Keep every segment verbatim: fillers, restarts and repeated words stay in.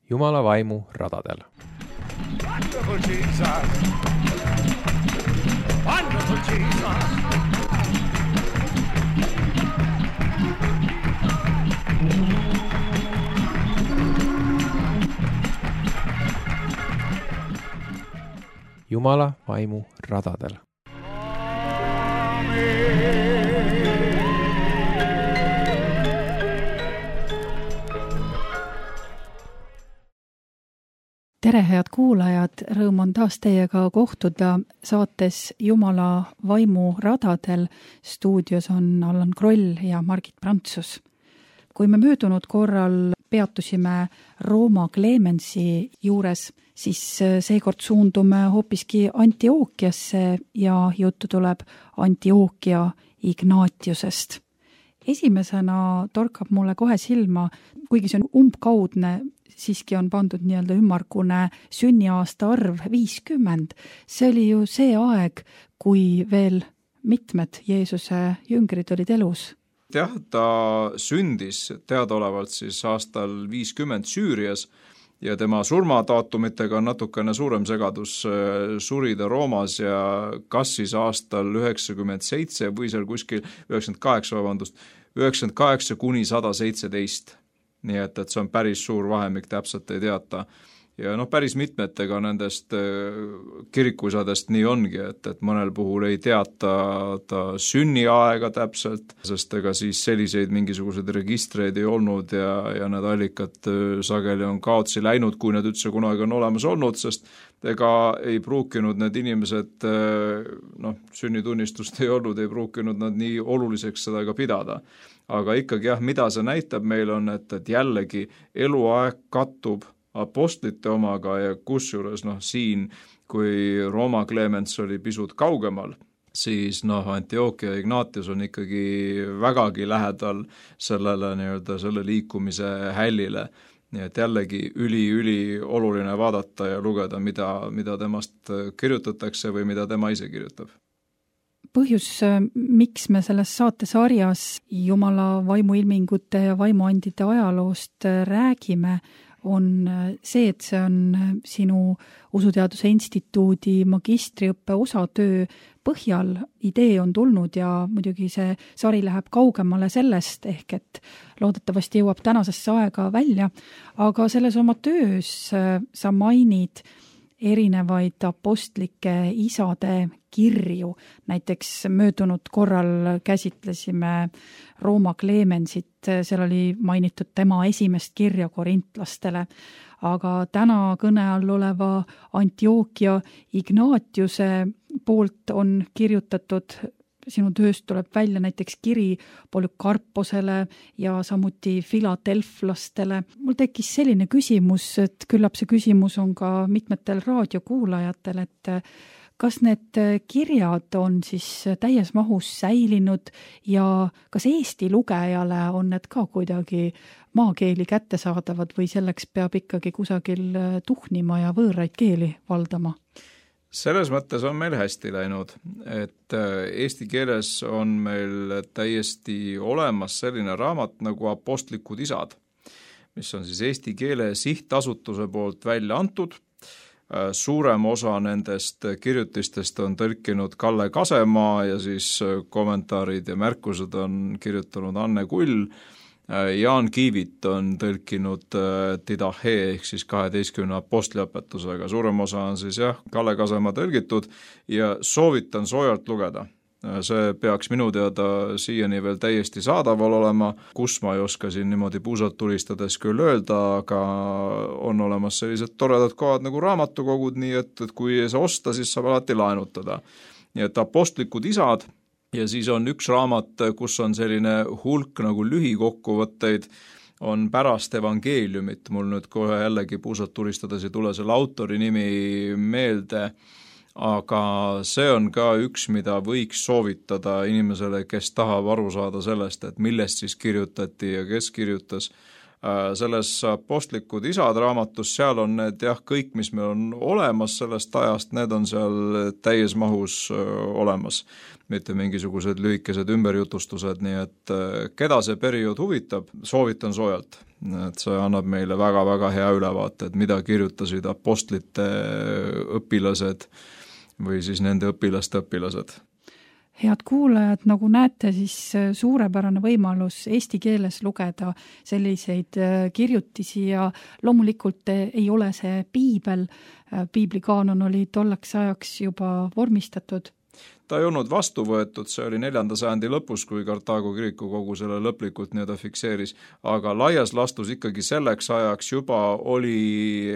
Jumala vaimu radadel. Wonderful Jesus! Wonderful Jesus! Jumala vaimu radadel. Tere, head kuulajad, rõõm on taas teiega kohtuda saates Jumala vaimu radadel. Stuudios on Allan Kroll ja Margit Prantsus. Kui me möödunud korral peatusime Rooma Clemensi juures, siis seekord suundume hoopiski Antiookiasse ja juttu tuleb Antiookia Ignatiusest. Esimesena torkab mulle kohe silma, kuigi see on umbkaudne, siiski on pandud nii-öelda ümmargune sünniaasta arv viiskümmend. See oli ju see aeg, kui veel mitmed Jeesuse jüngrid olid elus. Jah, ta sündis teadaolevalt siis aastal viiskümmend Süürias ja tema surmadaatummitega on natukene suurem segadus. Suri ta Roomas ja kas siis aastal üheksakümmend seitse või seal kuskil üheksakümmend kaheksa, vabandust, üheksakümmend kaheksa kuni sada seitseteist. Nii et, et see on päris suur vahemik, täpselt ei teata. Ja noh, päris mitmetega nendest kirikuisadest nii ongi, et, et mõnel puhul ei teata ta sünniaega täpselt, sest ega siis selliseid mingisuguseid registreid ei olnud ja, ja need allikad sageli on kaotsi läinud, kui need üldse kunagi on olemas olnud, sest ega ei pruukinud need inimesed, noh, sünnitunnistust ei olnud, ei pruukinud nad nii oluliseks seda ka pidada. Aga ikkagi jah, mida see näitab meil on, et, et jällegi eluaeg kattub apostlite omaga ja kusjuures noh, siin, kui Rooma Clemens oli pisut kaugemal, siis noh, Antiookia Ignatius on ikkagi vägagi lähedal sellele, nii-öelda, selle liikumise hällile. Nii et jällegi üli-üli oluline vaadata ja lugeda, mida, mida temast kirjutatakse või mida tema ise kirjutab. Põhjus, miks me selles saatesarjas Jumala vaimuilmingute ja vaimuandide ajaloost räägime, on see, et see on sinu Usuteaduse Instituudi magistriõppe osatöö põhjal. Idee on tulnud ja muidugi see sari läheb kaugemale sellest, ehk et loodetavasti jõuab tänasesse aega välja, aga selles oma töös sa mainid erinevaid apostlike isade kirju. Näiteks möödunud korral käsitlesime Rooma Clemensit, seal oli mainitud tema esimest kirja korintlastele, aga täna kõne all oleva Antiookia Ignatiuse poolt on kirjutatud, sinu tööst tuleb välja näiteks kiri Polükarposele ja samuti filadelflastele. Mul tekkis selline küsimus, et küllap see küsimus on ka mitmetel raadiokuulajatel, et kas need kirjad on siis täies mahus säilinud ja kas Eesti lugejale on need ka kuidagi maakeeli kättesaadavad või selleks peab ikkagi kusagil tuhnima ja võõraid keeli valdama? Selles mõttes on meil hästi läinud, et eesti keeles on meil täiesti olemas selline raamat nagu Apostlikud isad, mis on siis eesti keele sihtasutuse poolt välja antud. Suurem osa nendest kirjutistest on tõlkinud Kalle Kasemaa ja siis kommentaarid ja märkused on kirjutanud Anne Kull. Jaan Kiivit on tõlkinud Didache ehk siis kaheteistkümne apostliõpetusega. Suurem osa on siis jah, Kalle Kasemaa tõlgitud ja soovitan soojalt lugeda. See peaks minu teada siiani veel täiesti saadaval olema, kus ma ei oska siin niimoodi puusalt tulistades küll öelda, aga on olemas sellised toredad kohad nagu raamatukogud, nii et, et kui ei saa osta, siis saab alati laenutada. Nii et Apostlikud isad. Ja siis on üks raamat, kus on selline hulk nagu lühikokkuvõtteid, on pärast evangeeliumit. Mul nüüd kohe jällegi puusalt tulistades ei tule selle autori nimi meelde, aga see on ka üks, mida võiks soovitada inimesele, kes tahab aru saada sellest, et millest siis kirjutati ja kes kirjutas. Selles Apostlikud isad raamatus, seal on need jah, kõik, mis meil on olemas sellest ajast, need on seal täies mahus olemas, mitte mingisugused lühikesed ümberjutustused, nii et keda see periood huvitab, soovitan soojalt. Et see annab meile väga-väga hea ülevaate, et mida kirjutasid apostlite õpilased või siis nende õpilaste õpilased. Head kuulajad, nagu näete, siis suurepärane võimalus eesti keeles lugeda selliseid kirjutisi ja loomulikult ei ole see piibel, piiblikaanon oli tollaks ajaks juba vormistatud. Ta ei olnud vastu võetud, see oli neljanda sajandi lõpus, kui Kartaago kiriku kogu selle lõplikult nii-öelda fikseeris, aga laias lastus ikkagi selleks ajaks juba oli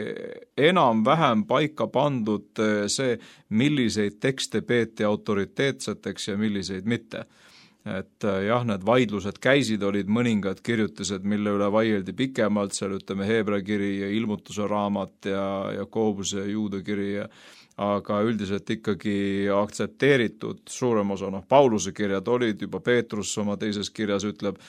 enam-vähem paika pandud see, milliseid tekste peeti autoriteetseteks ja milliseid mitte. Et jah, need vaidlused käisid, olid mõningad kirjutised, mille üle vaieldi pikemalt, seal ütleme Heebra kiri ja ilmutuse raamat ja, ja Koobuse ja Juuda kiri ja aga üldiselt ikkagi aktsepteeritud suurem osa, noh, Pauluse kirjad olid, juba Peetrus oma teises kirjas ütleb,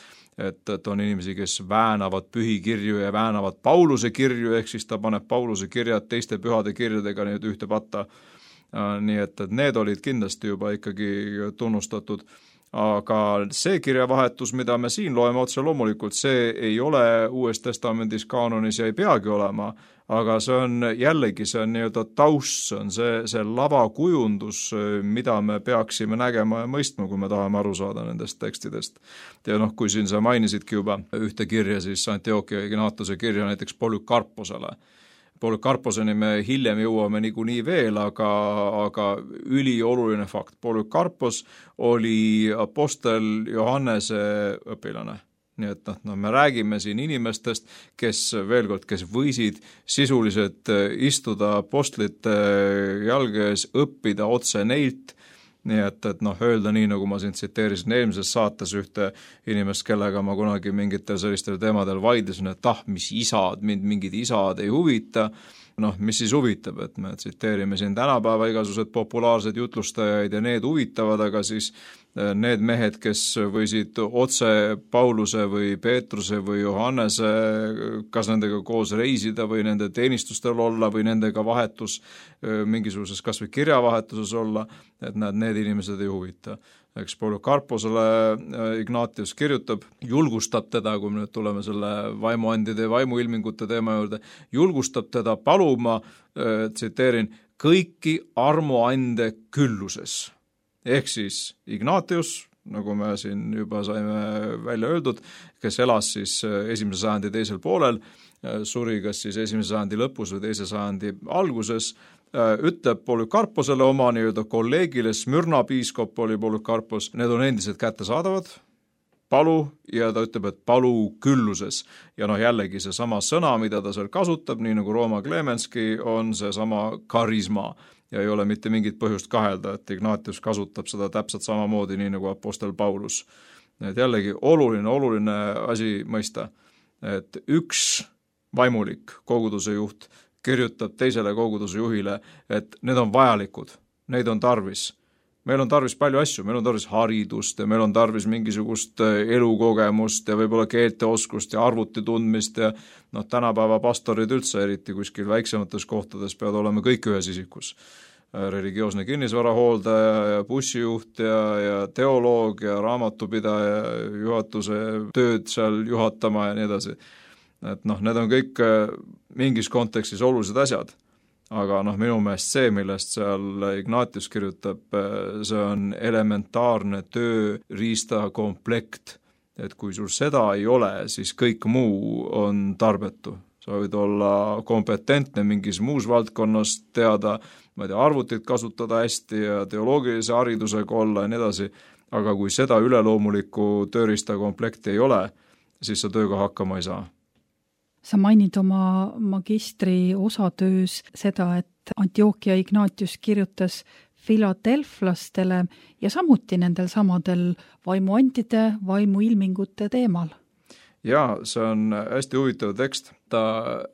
et, et on inimesi, kes väänavad pühikirju ja väänavad Pauluse kirju, ehk siis ta paneb Pauluse kirjad teiste pühade kirjadega nüüd ühte patta. Nii et, et need olid kindlasti juba ikkagi tunnustatud. Aga see kirjavahetus, mida me siin loeme otse loomulikult, see ei ole Uues Testamendis kaanonis ja ei peagi olema, aga see on jällegi, see on nii-öelda taust, see on see, see lavakujundus, mida me peaksime nägema ja mõistma, kui me tahame aru saada nendest tekstidest. Ja noh, kui siin sa mainisidki juba ühte kirja, siis Antiochia Ignatiuse kirja näiteks Polükarposele. Polükarposeni me hiljem jõuame niikuinii veel, aga, aga ülioluline fakt. Polükarpos oli apostel Johannese õpilane. Nii et noh, no, me räägime siin inimestest, kes veel kord, kes võisid sisuliselt istuda apostlite jalge ees, õppida otse neilt. Nii et, et noh, öelda nii, nagu ma siin tsiteerisin eelmises saates ühte inimest, kellega ma kunagi mingitel sellistel teemadel vaidlesin, et ah, mis isad, mind mingid isad ei huvita, noh, mis siis huvitab, et me tsiteerime siin tänapäeva igasugused populaarsed jutlustajaid ja need huvitavad, aga siis need mehed, kes võisid otse Pauluse või Peetruse või Johannese, kas nendega koos reisida või nende teenistustel olla või nendega vahetus mingisuguses kas või kirjavahetuses olla, et nad, need inimesed ei huvita. Eks Polükarposele Ignatius kirjutab, julgustab teda, kui me nüüd tuleme selle vaimuandide ja vaimuilmingute teema juurde, julgustab teda paluma, tsiteerin, kõiki armuande külluses. Ehk siis Ignatius, nagu me siin juba saime välja öeldud, kes elas siis esimese sajandi teisel poolel, suri kas siis esimese sajandi lõpus või teise sajandi alguses, ütleb Polükarposele oma nii-öelda kolleegile, Smyrna piiskop oli Polükarpos, need on endiselt kättesaadavad, palu, ja ta ütleb, et palu külluses. Ja noh, jällegi see sama sõna, mida ta seal kasutab, nii nagu Rooma Klemenski, on see sama karisma. Ja ei ole mitte mingit põhjust kahelda, et Ignatius kasutab seda täpselt samamoodi, nii nagu apostel Paulus. Et jällegi oluline, oluline asi mõista, et üks vaimulik koguduse juht kirjutab teisele koguduse juhile, et need on vajalikud, neid on tarvis. Meil on tarvis palju asju, meil on tarvis haridust ja meil on tarvis mingisugust elukogemust ja võib-olla keelteoskust ja arvuti tundmist ja noh, tänapäeva pastorid üldse, eriti kuskil väiksemates kohtades peavad olema kõik ühes isikus. Religioosne kinnisvarahooldaja ja bussijuht ja, ja teoloog ja raamatupidaja juhatuse tööd seal juhatama ja nii edasi. Et noh, need on kõik mingis kontekstis olulised asjad. Aga noh, minu meelest see, millest seal Ignatius kirjutab, see on elementaarne tööriista komplekt. Et kui sul seda ei ole, siis kõik muu on tarbetu. Sa võid olla kompetentne mingis muus valdkonnas, teada, ma ei tea, arvutit kasutada hästi ja teoloogilise haridusega olla ja nii edasi, aga kui seda üleloomulikku tööriista komplekti ei ole, siis sa tööga hakkama ei saa. Sa mainid oma magistri osatöös seda, et Antiochia Ignatius kirjutas filadelflastele ja samuti nendel samadel vaimuandide, vaimuilmingute teemal. jaa, see on hästi huvitav tekst. Ta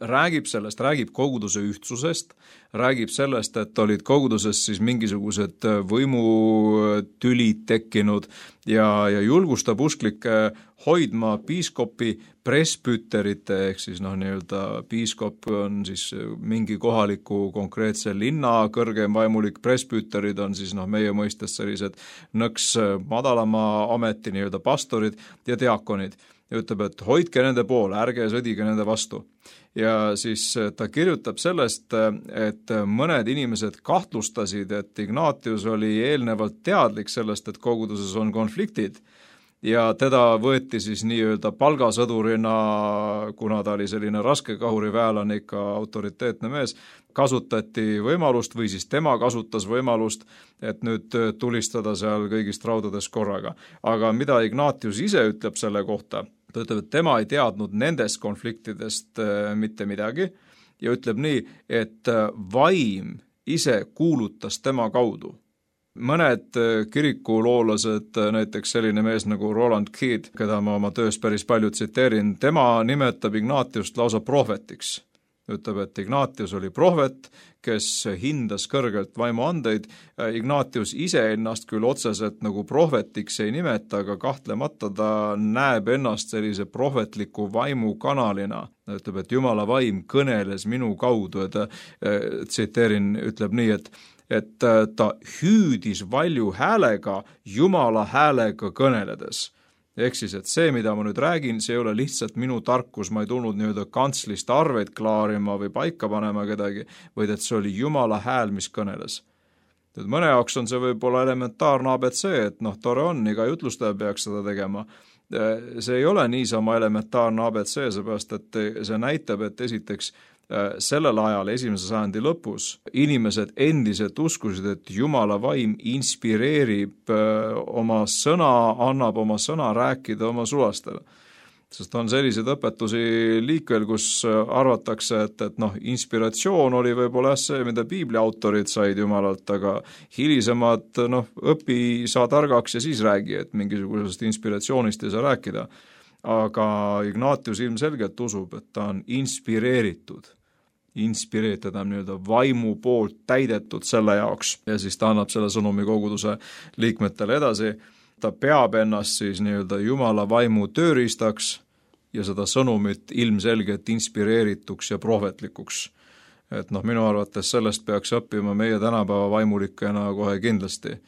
räägib sellest, räägib koguduse ühtsusest, räägib sellest, et olid koguduses siis mingisugused võimutülid tekkinud ja, ja julgustab usklikke hoidma piiskopi presbüterite, ehk siis noh, nii-öelda piiskop on siis mingi kohaliku konkreetse linna kõrgem vaimulik, presbüterid on siis noh, meie mõistes sellised nõks madalama ameti nii-öelda pastorid ja diakonid. Ja ütleb, et hoidke nende poole, ärge sõdige nende vastu. Ja siis ta kirjutab sellest, et mõned inimesed kahtlustasid, et Ignatius oli eelnevalt teadlik sellest, et koguduses on konfliktid ja teda võeti siis nii-öelda palgasõdurina, kuna ta oli selline raske kahuriväelane, ikka autoriteetne mees, kasutati võimalust või siis tema kasutas võimalust, et nüüd tulistada seal kõigist raudades korraga. Aga mida Ignatius ise ütleb selle kohta? Ta ütleb, et tema ei teadnud nendest konfliktidest mitte midagi ja ütleb nii, et vaim ise kuulutas tema kaudu. Mõned kirikuloolased, näiteks selline mees nagu Roland Kidd, keda ma oma töös päris palju tsiteerin, tema nimetab Ignatiust lausa prohvetiks. Ütleb, et Ignatius oli prohvet, kes hindas kõrgelt vaimuandeid. Ignatius ise ennast küll otseselt nagu prohvetiks ei nimeta, aga kahtlemata ta näeb ennast sellise prohvetliku vaimu kanalina. Ütleb, et Jumala vaim kõneles minu kaudu, et tsiteerin, ütleb nii, et et ta hüüdis valju häälega Jumala häälega kõneledes. Ehk siis, et see, mida ma nüüd räägin, see ei ole lihtsalt minu tarkus, ma ei tulnud nii-öelda kantslist arveid klaarima või paika panema kedagi, vaid et see oli Jumala hääl, mis kõneles. Nüüd mõne jaoks on see võib-olla elementaarne A B C, et noh, tore on, iga jutlustaja peaks seda tegema. See ei ole niisama elementaarne A B C, seepärast, et see näitab, et esiteks sellel ajal, esimese sajandi lõpus, inimesed endiselt uskusid, et Jumala vaim inspireerib oma sõna, annab oma sõna rääkida oma sulastele. Sest on selliseid õpetusi liikvel, kus arvatakse, et, et noh, inspiratsioon oli võib-olla see, mida piibli autorid said Jumalalt, aga hilisemad, noh, õpi, saa targaks ja siis räägi, et mingisugusest inspiratsioonist ei saa rääkida. Aga Ignatius ilmselgelt usub, et ta on inspireeritud. Inspireeritud on nii-öelda vaimu poolt täidetud selle jaoks ja siis ta annab selle sõnumi koguduse liikmetele edasi. Ta peab ennast siis nii-öelda Jumala vaimu tööriistaks ja seda sõnumit ilmselgelt inspireerituks ja prohvetlikuks. Et noh, minu arvates sellest peaks õppima meie tänapäeva vaimulikena kohe kindlasti.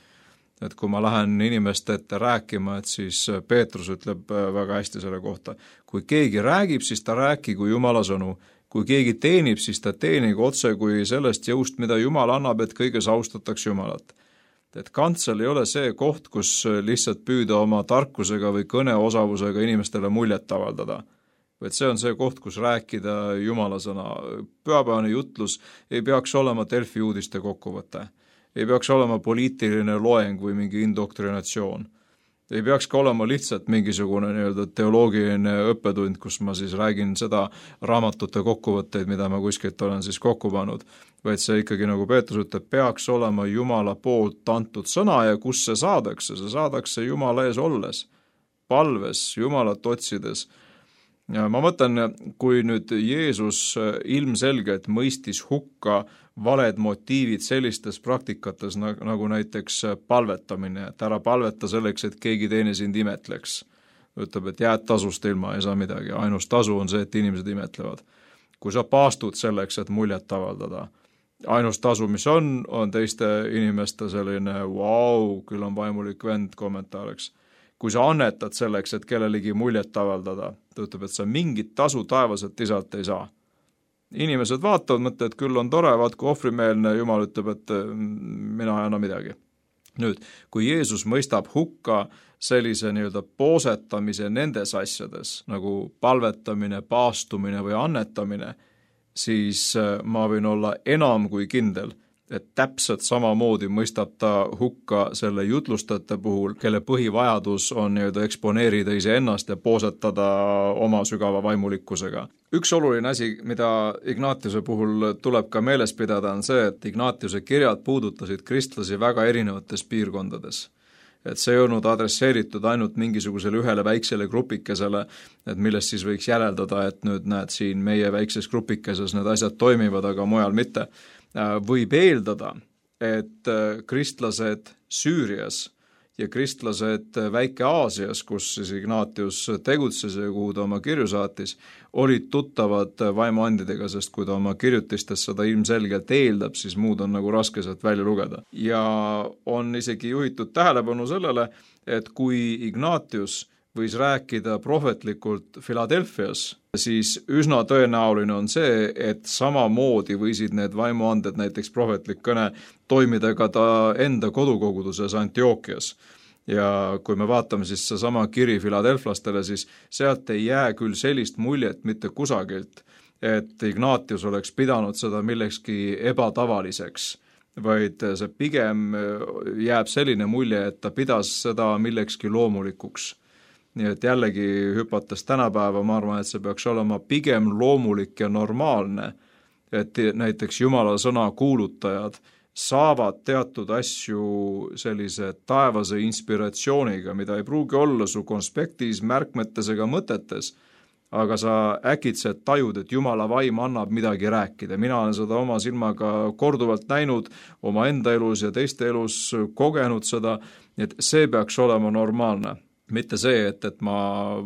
Et kui ma lähen inimeste ette rääkima, et siis Peetrus ütleb väga hästi selle kohta. Kui keegi räägib, siis ta rääkigu Jumala sõnu. Kui keegi teenib, siis ta teenigu otse kui sellest jõust, mida Jumal annab, et kõiges austatakse Jumalat. Et kantsel ei ole see koht, kus lihtsalt püüda oma tarkusega või kõneosavusega inimestele muljet avaldada. Vaid see on see koht, kus rääkida Jumala sõna. Pühapäevane jutlus ei peaks olema Delfi uudiste kokkuvõte. Ei peaks olema poliitiline loeng või mingi indoktrinatsioon. Ei peaks ka olema lihtsalt mingisugune nii-öelda teoloogiline õppetund, kus ma siis räägin seda raamatute kokkuvõtteid, mida ma kuskilt olen siis kokku pannud. Vaid see ikkagi, nagu Peetrus ütleb, peaks olema Jumala poolt antud sõna ja kus see saadakse? See saadakse Jumala ees olles, palves, Jumalat otsides. Ja ma mõtlen, kui nüüd Jeesus ilmselgelt mõistis hukka valed motiivid sellistes praktikates nagu näiteks palvetamine, et ära palveta selleks, et keegi teine sind imetleks. Ütleb, et jääd tasust ilma, ei saa midagi. Ainus tasu on see, et inimesed imetlevad. Kui sa paastud selleks, et muljet avaldada, ainus tasu, mis on, on teiste inimeste selline vau, küll on vaimulik vend kommentaariks. Kui sa annetad selleks, et kellelegi muljet avaldada, ta ütleb, et sa mingit tasu taevaselt isalt ei saa. Inimesed vaatavad, mõtle, et küll on tore, vaat kui ohvrimeelne, Jumal ütleb, et mina ei anna midagi. Nüüd, kui Jeesus mõistab hukka sellise nii-öelda poosetamise nendes asjades, nagu palvetamine, paastumine või annetamine, siis ma võin olla enam kui kindel, et täpselt samamoodi mõistab ta hukka selle jutlustajate puhul, kelle põhivajadus on nii-öelda eksponeerida iseennast ja poosetada oma sügava vaimulikkusega. Üks oluline asi, mida Ignatiuse puhul tuleb ka meeles pidada, on see, et Ignatiuse kirjad puudutasid kristlasi väga erinevates piirkondades. et see ei olnud adresseeritud ainult mingisugusele ühele väiksele grupikesele, et millest siis võiks järeldada, et nüüd näed siin meie väikses grupikeses need asjad toimivad, aga mujal mitte. Võib eeldada, et kristlased Süürias ja kristlased Väike-Aasias, kus siis Ignatius tegutses ja kuhu ta oma kirju saatis, olid tuttavad vaimuandidega, sest kui ta oma kirjutistes seda ilmselgelt eeldab, siis muud on nagu raske sealt välja lugeda. Ja on isegi juhitud tähelepanu sellele, et kui Ignatius võis rääkida prohvetlikult Philadelphias, siis üsna tõenäoline on see, et samamoodi võisid need vaimuanded, näiteks prohvetlik kõne, toimida ka ta enda kodukoguduses Antiochias. Ja kui me vaatame siis see sama kiri Philadelphastele, siis sealt ei jää küll sellist muljet mitte kusagilt, et Ignatius oleks pidanud seda millekski ebatavaliseks, vaid see pigem jääb selline mulje, et ta pidas seda millekski loomulikuks. Nii et jällegi hüpates tänapäeva, ma arvan, et see peaks olema pigem loomulik ja normaalne, et näiteks Jumala sõna kuulutajad saavad teatud asju sellise taevase inspiratsiooniga, mida ei pruugi olla su konspektis, märkmetes ega mõtetes, aga sa äkitselt tajud, et Jumala vaim annab midagi rääkida. Mina olen seda oma silmaga korduvalt näinud, oma enda elus ja teiste elus kogenud seda, et see peaks olema normaalne. Mitte see, et, et ma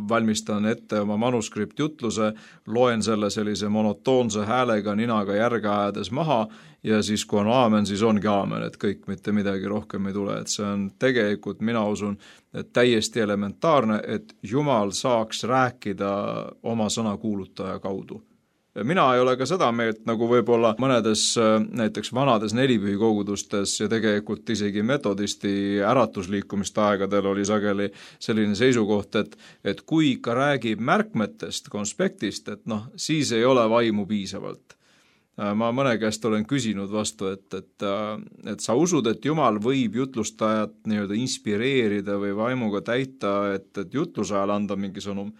valmistan ette oma manuskriptjutluse, loen selle sellise monotoonse häälega ninaga järge ajades maha ja siis kui on aamen, siis ongi aamen, et kõik mitte midagi rohkem ei tule. Et see on tegelikult, mina usun, et täiesti elementaarne, et Jumal saaks rääkida oma sõna kuulutaja kaudu. Mina ei ole ka seda meelt, nagu võib-olla mõnedes näiteks vanades nelipühikogudustes ja tegelikult isegi metodisti äratusliikumiste aegadel oli sageli selline seisukoht, et, et kui ikka räägib märkmetest, konspektist, et noh, siis ei ole vaimu piisavalt. Ma mõne käest olen küsinud vastu, et, et, et sa usud, et Jumal võib jutlustajat nii-öelda inspireerida või vaimuga täita, et, et jutluse ajal anda mingi sõnum.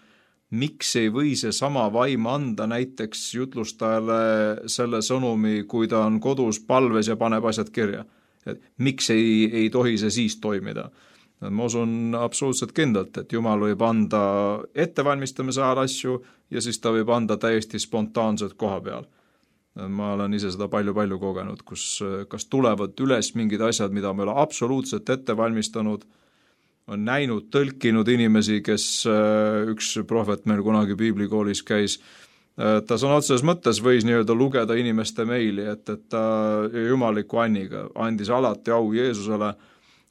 Miks ei või see sama vaim anda näiteks jutlustajale selle sõnumi, kui ta on kodus palves ja paneb asjad kirja? Et miks ei, ei tohi see siis toimida? Ma usun absoluutselt kindlalt, et Jumal võib anda ettevalmistamise ajal asju ja siis ta võib anda täiesti spontaanselt koha peal. Ma olen ise seda palju-palju kogenud, kus kas tulevad üles mingid asjad, mida me ole absoluutselt ette valmistanud, on näinud, tõlkinud inimesi, kes üks prohvet meil kunagi piiblikoolis käis. Ta sõna otseses mõttes võis nii-öelda lugeda inimeste meili, et, et ta jumaliku anniga andis alati au Jeesusele.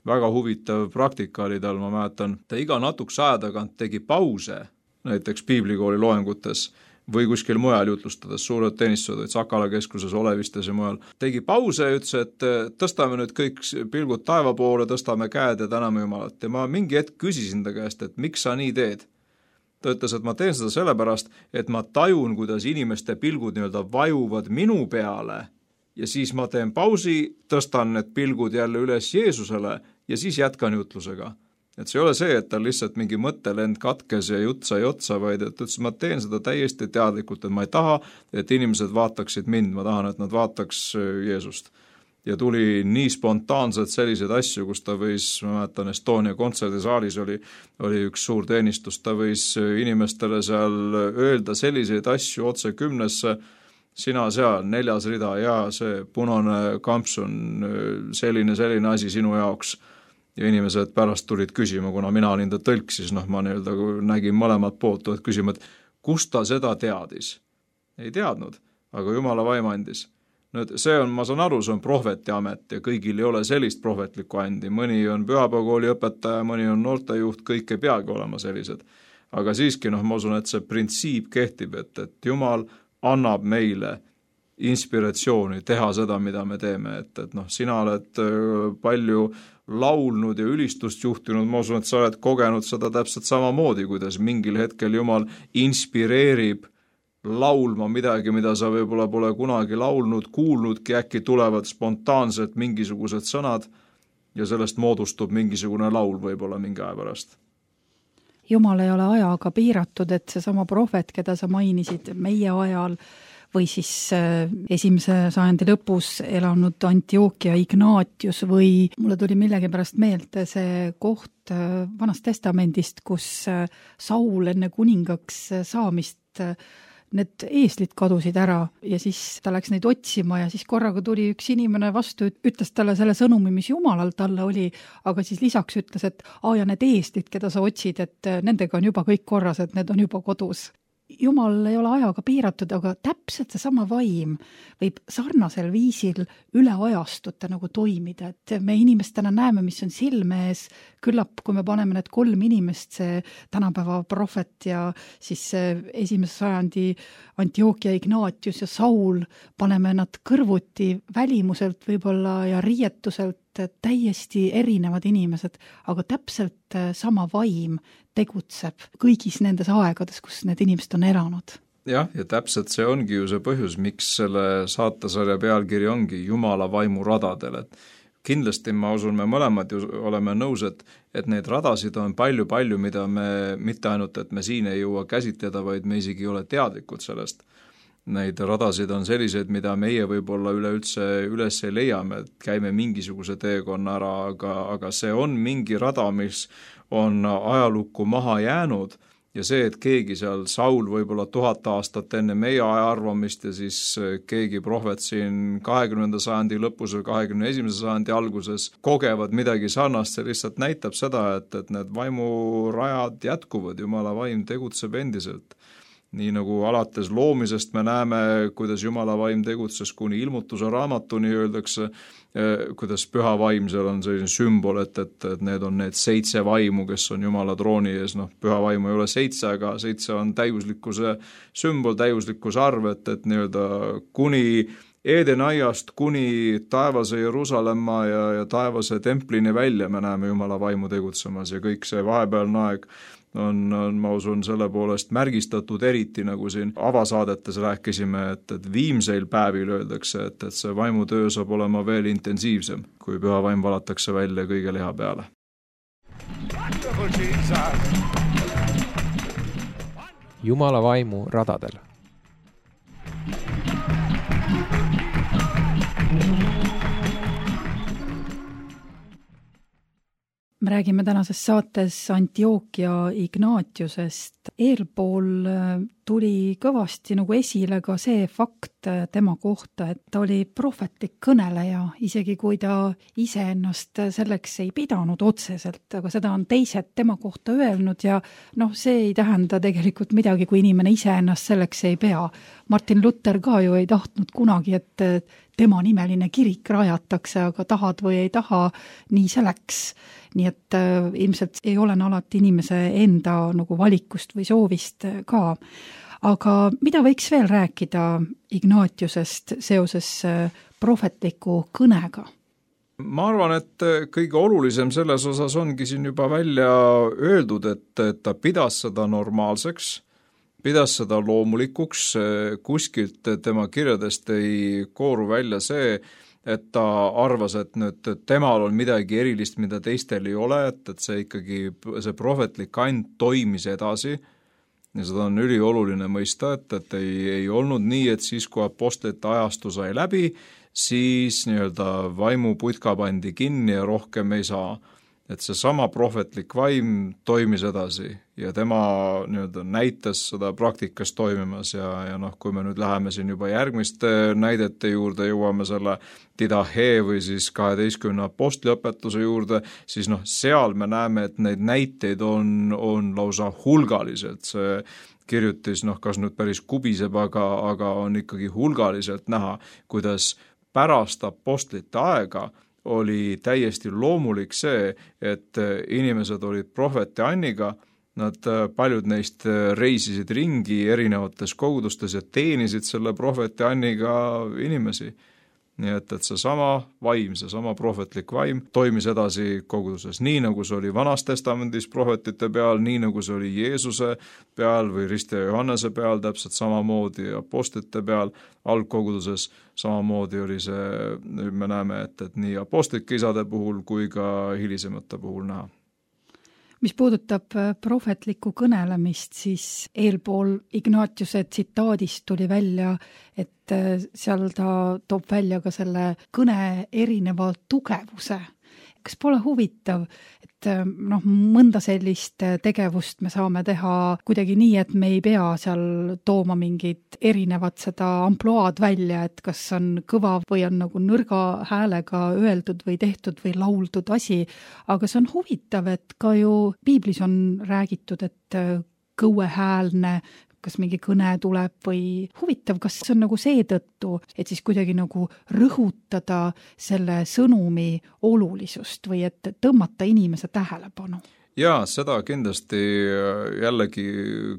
Väga huvitav praktika oli tal, ma mäletan. Ta iga natukese aja tagant tegi pause, näiteks piiblikooli loengutes, või kuskil mujal jutlustades, suured teenistused, Sakala keskuses, Olevistes ja mujal. Tegi pause ja ütles, et tõstame nüüd kõik pilgud taeva poole, tõstame käed ja täname Jumalat. Ja ma mingi hetk küsisin ta käest, et miks sa nii teed? Ta ütles, et ma teen seda sellepärast, et ma tajun, kuidas inimeste pilgud nii-öelda vajuvad minu peale ja siis ma teen pausi, tõstan need pilgud jälle üles Jeesusele ja siis jätkan jutlusega. Et see ei ole see, et ta lihtsalt mingi mõttelend katkes ja jutt sai otsa, vaid et ütles, ma teen seda täiesti teadlikult, et ma ei taha, et inimesed vaataksid mind, ma tahan, et nad vaataks Jeesust. Ja tuli nii spontaanselt selliseid asju, kus ta võis, ma mäletan, Estonia kontserdisaalis oli, oli üks suur teenistus, ta võis inimestele seal öelda selliseid asju otse kümnesse, sina seal, neljas rida ja see punane kamps on selline, selline asi sinu jaoks. Ja inimesed pärast tulid küsima, kuna mina olin ta tõlk, siis noh, ma nii-öelda nägin mõlemat poolt, et küsima, et kust ta seda teadis? Ei teadnud, aga Jumala vaim andis. Nüüd see on, ma saan aru, see on prohveti amet ja kõigil ei ole sellist prohvetlikku andi. Mõni on pühapäevakooli õpetaja, mõni on noortejuht, kõik ei peagi olema sellised. Aga siiski, noh, ma usun, et see printsiip kehtib, et, et Jumal annab meile inspiratsiooni teha seda, mida me teeme. Et, et noh, sina oled palju laulnud ja ülistust juhtinud, ma usun, et sa oled kogenud seda täpselt samamoodi, kuidas mingil hetkel Jumal inspireerib laulma midagi, mida sa võib-olla pole kunagi laulnud, kuulnudki, äkki tulevad spontaanselt mingisugused sõnad ja sellest moodustub mingisugune laul võib-olla mingi aja pärast. Jumal ei ole ajaga piiratud, et see sama prohvet, keda sa mainisid meie ajal, või siis esimese sajandi lõpus elanud Antiochia Ignatius või mulle tuli millegipärast meelde see koht Vanast Testamendist, kus Saul enne kuningaks saamist need eeslid kadusid ära ja siis ta läks neid otsima ja siis korraga tuli üks inimene vastu, ütles talle selle sõnumi, mis Jumalal talle oli, aga siis lisaks ütles, et aa ja need eeslid, keda sa otsid, et nendega on juba kõik korras, et need on juba kodus. Jumal ei ole ajaga piiratud, aga täpselt see sama vaim võib sarnasel viisil üle ajastute nagu toimida, et me inimestena näeme, mis on silme ees, küllap kui me paneme need kolm inimest, see tänapäeva prohvet ja siis esimese sajandi Antiochia Ignatius ja Saul, paneme nad kõrvuti välimuselt võib-olla ja riietuselt täiesti erinevad inimesed, aga täpselt sama vaim tegutseb kõigis nendes aegades, kus need inimesed on elanud. Jah, ja täpselt see ongi ju see põhjus, miks selle saatesarja pealkiri ongi Jumala vaimu radadel, et kindlasti ma usun, me mõlemad ju oleme nõus, et, et neid radasid on palju-palju, mida me mitte ainult, et me siin ei jõua käsitleda, vaid me isegi ei ole teadlikud sellest. Neid radasid on sellised, mida meie võib-olla üleüldse üles ei leiame, et käime mingisuguse teekonna ära, aga, aga see on mingi rada, mis on ajalukku maha jäänud ja see, et keegi seal, Saul võib-olla tuhat aastat enne meie aja arvamist ja siis keegi prohvet siin kahekümnenda sajandi lõpus või kahekümne esimese sajandi alguses kogevad midagi sarnast, see lihtsalt näitab seda, et, et need vaimurajad jätkuvad, Jumala vaim tegutseb endiselt. Nii nagu alates loomisest me näeme, kuidas Jumala vaim tegutses kuni ilmutuse raamatuni, öeldakse, kuidas püha vaim, seal on selline sümbol, et, et, et need on need seitse vaimu, kes on Jumala trooni ees, noh, püha vaimu ei ole seitse, aga seitse on täiuslikkuse sümbol, täiuslikkuse arv, et, et nii-öelda kuni Edenaiast kuni taevase Jeruusalemma ja, ja taevase templini välja me näeme Jumala vaimu tegutsemas ja kõik see vahepealne aeg on, on, ma usun, selle poolest märgistatud eriti, nagu siin avasaadetes rääkisime, et, et viimseil päevil öeldakse, et, et see vaimutöö saab olema veel intensiivsem, kui püha vaim valatakse välja kõige liha peale. Jumala vaimu radadel. Me räägime tänases saates Antiochia Ignatiusest. Eelpool tuli kõvasti nagu esile ka see fakt tema kohta, et ta oli prohvetlik kõneleja, isegi kui ta ise ennast selleks ei pidanud otseselt, aga seda on teised tema kohta öelnud ja noh, see ei tähenda tegelikult midagi, kui inimene ise ennast selleks ei pea. Martin Luther ka ju ei tahtnud kunagi, et tema nimeline kirik rajatakse, aga tahad või ei taha, nii see läks. Nii et äh, ilmselt ei ole alati inimese enda nagu valikust või soovist ka. Aga mida võiks veel rääkida Ignatiusest seoses äh, prohvetliku kõnega? Ma arvan, et kõige olulisem selles osas ongi siin juba välja öeldud, et, et ta pidas seda normaalseks, pidas seda loomulikuks, kuskilt tema kirjadest ei kooru välja see, et ta arvas, et nüüd temal on midagi erilist, mida teistel ei ole, et, et see ikkagi, see prohvetlik and toimis edasi ja seda on ülioluline mõista, et, et ei, ei olnud nii, et siis, kui apostlite ajastu sai läbi, siis nii-öelda vaimuputka pandi kinni ja rohkem ei saa. Et see sama prohvetlik vaim toimis edasi ja tema nii-öelda näitas seda praktikas toimimas ja, ja noh, kui me nüüd läheme siin juba järgmiste näidete juurde, jõuame selle Didahe või siis kaheteistkümne apostliõpetuse juurde, siis noh, seal me näeme, et neid näiteid on, on lausa hulgaliselt. See kirjutis, noh, kas nüüd päris kubiseb, aga, aga on ikkagi hulgaliselt näha, kuidas pärast apostlite aega oli täiesti loomulik see, et inimesed olid prohveti anniga, nad paljud neist reisisid ringi erinevates kogudustes ja teenisid selle prohveti anniga inimesi. Nii et, et see sama vaim, see sama prohvetlik vaim toimis edasi koguduses, nii nagu see oli Vanas Testamendis prohvetite peal, nii nagu see oli Jeesuse peal või Riste Johannese peal, täpselt samamoodi apostlite peal, algkoguduses samamoodi oli see, me näeme, et, et nii apostlike isade puhul kui ka hilisemate puhul näha. mis puudutab prohvetlikku kõnelemist, siis eelpool Ignatiuse tsitaadist tuli välja, et seal ta toob välja ka selle kõne erineva tugevuse. Kas pole huvitav, et noh, mõnda sellist tegevust me saame teha kuidagi nii, et me ei pea seal tooma mingit erinevat seda amploaad välja, et kas on kõva või on nagu nõrga häälega öeldud või tehtud või lauldud asi, aga see on huvitav, et ka ju piiblis on räägitud, et kõuehäälne, kas mingi kõne tuleb või huvitav, kas see on nagu seetõttu, et siis kuidagi nagu rõhutada selle sõnumi olulisust või et tõmmata inimese tähelepanu? Jaa, seda kindlasti jällegi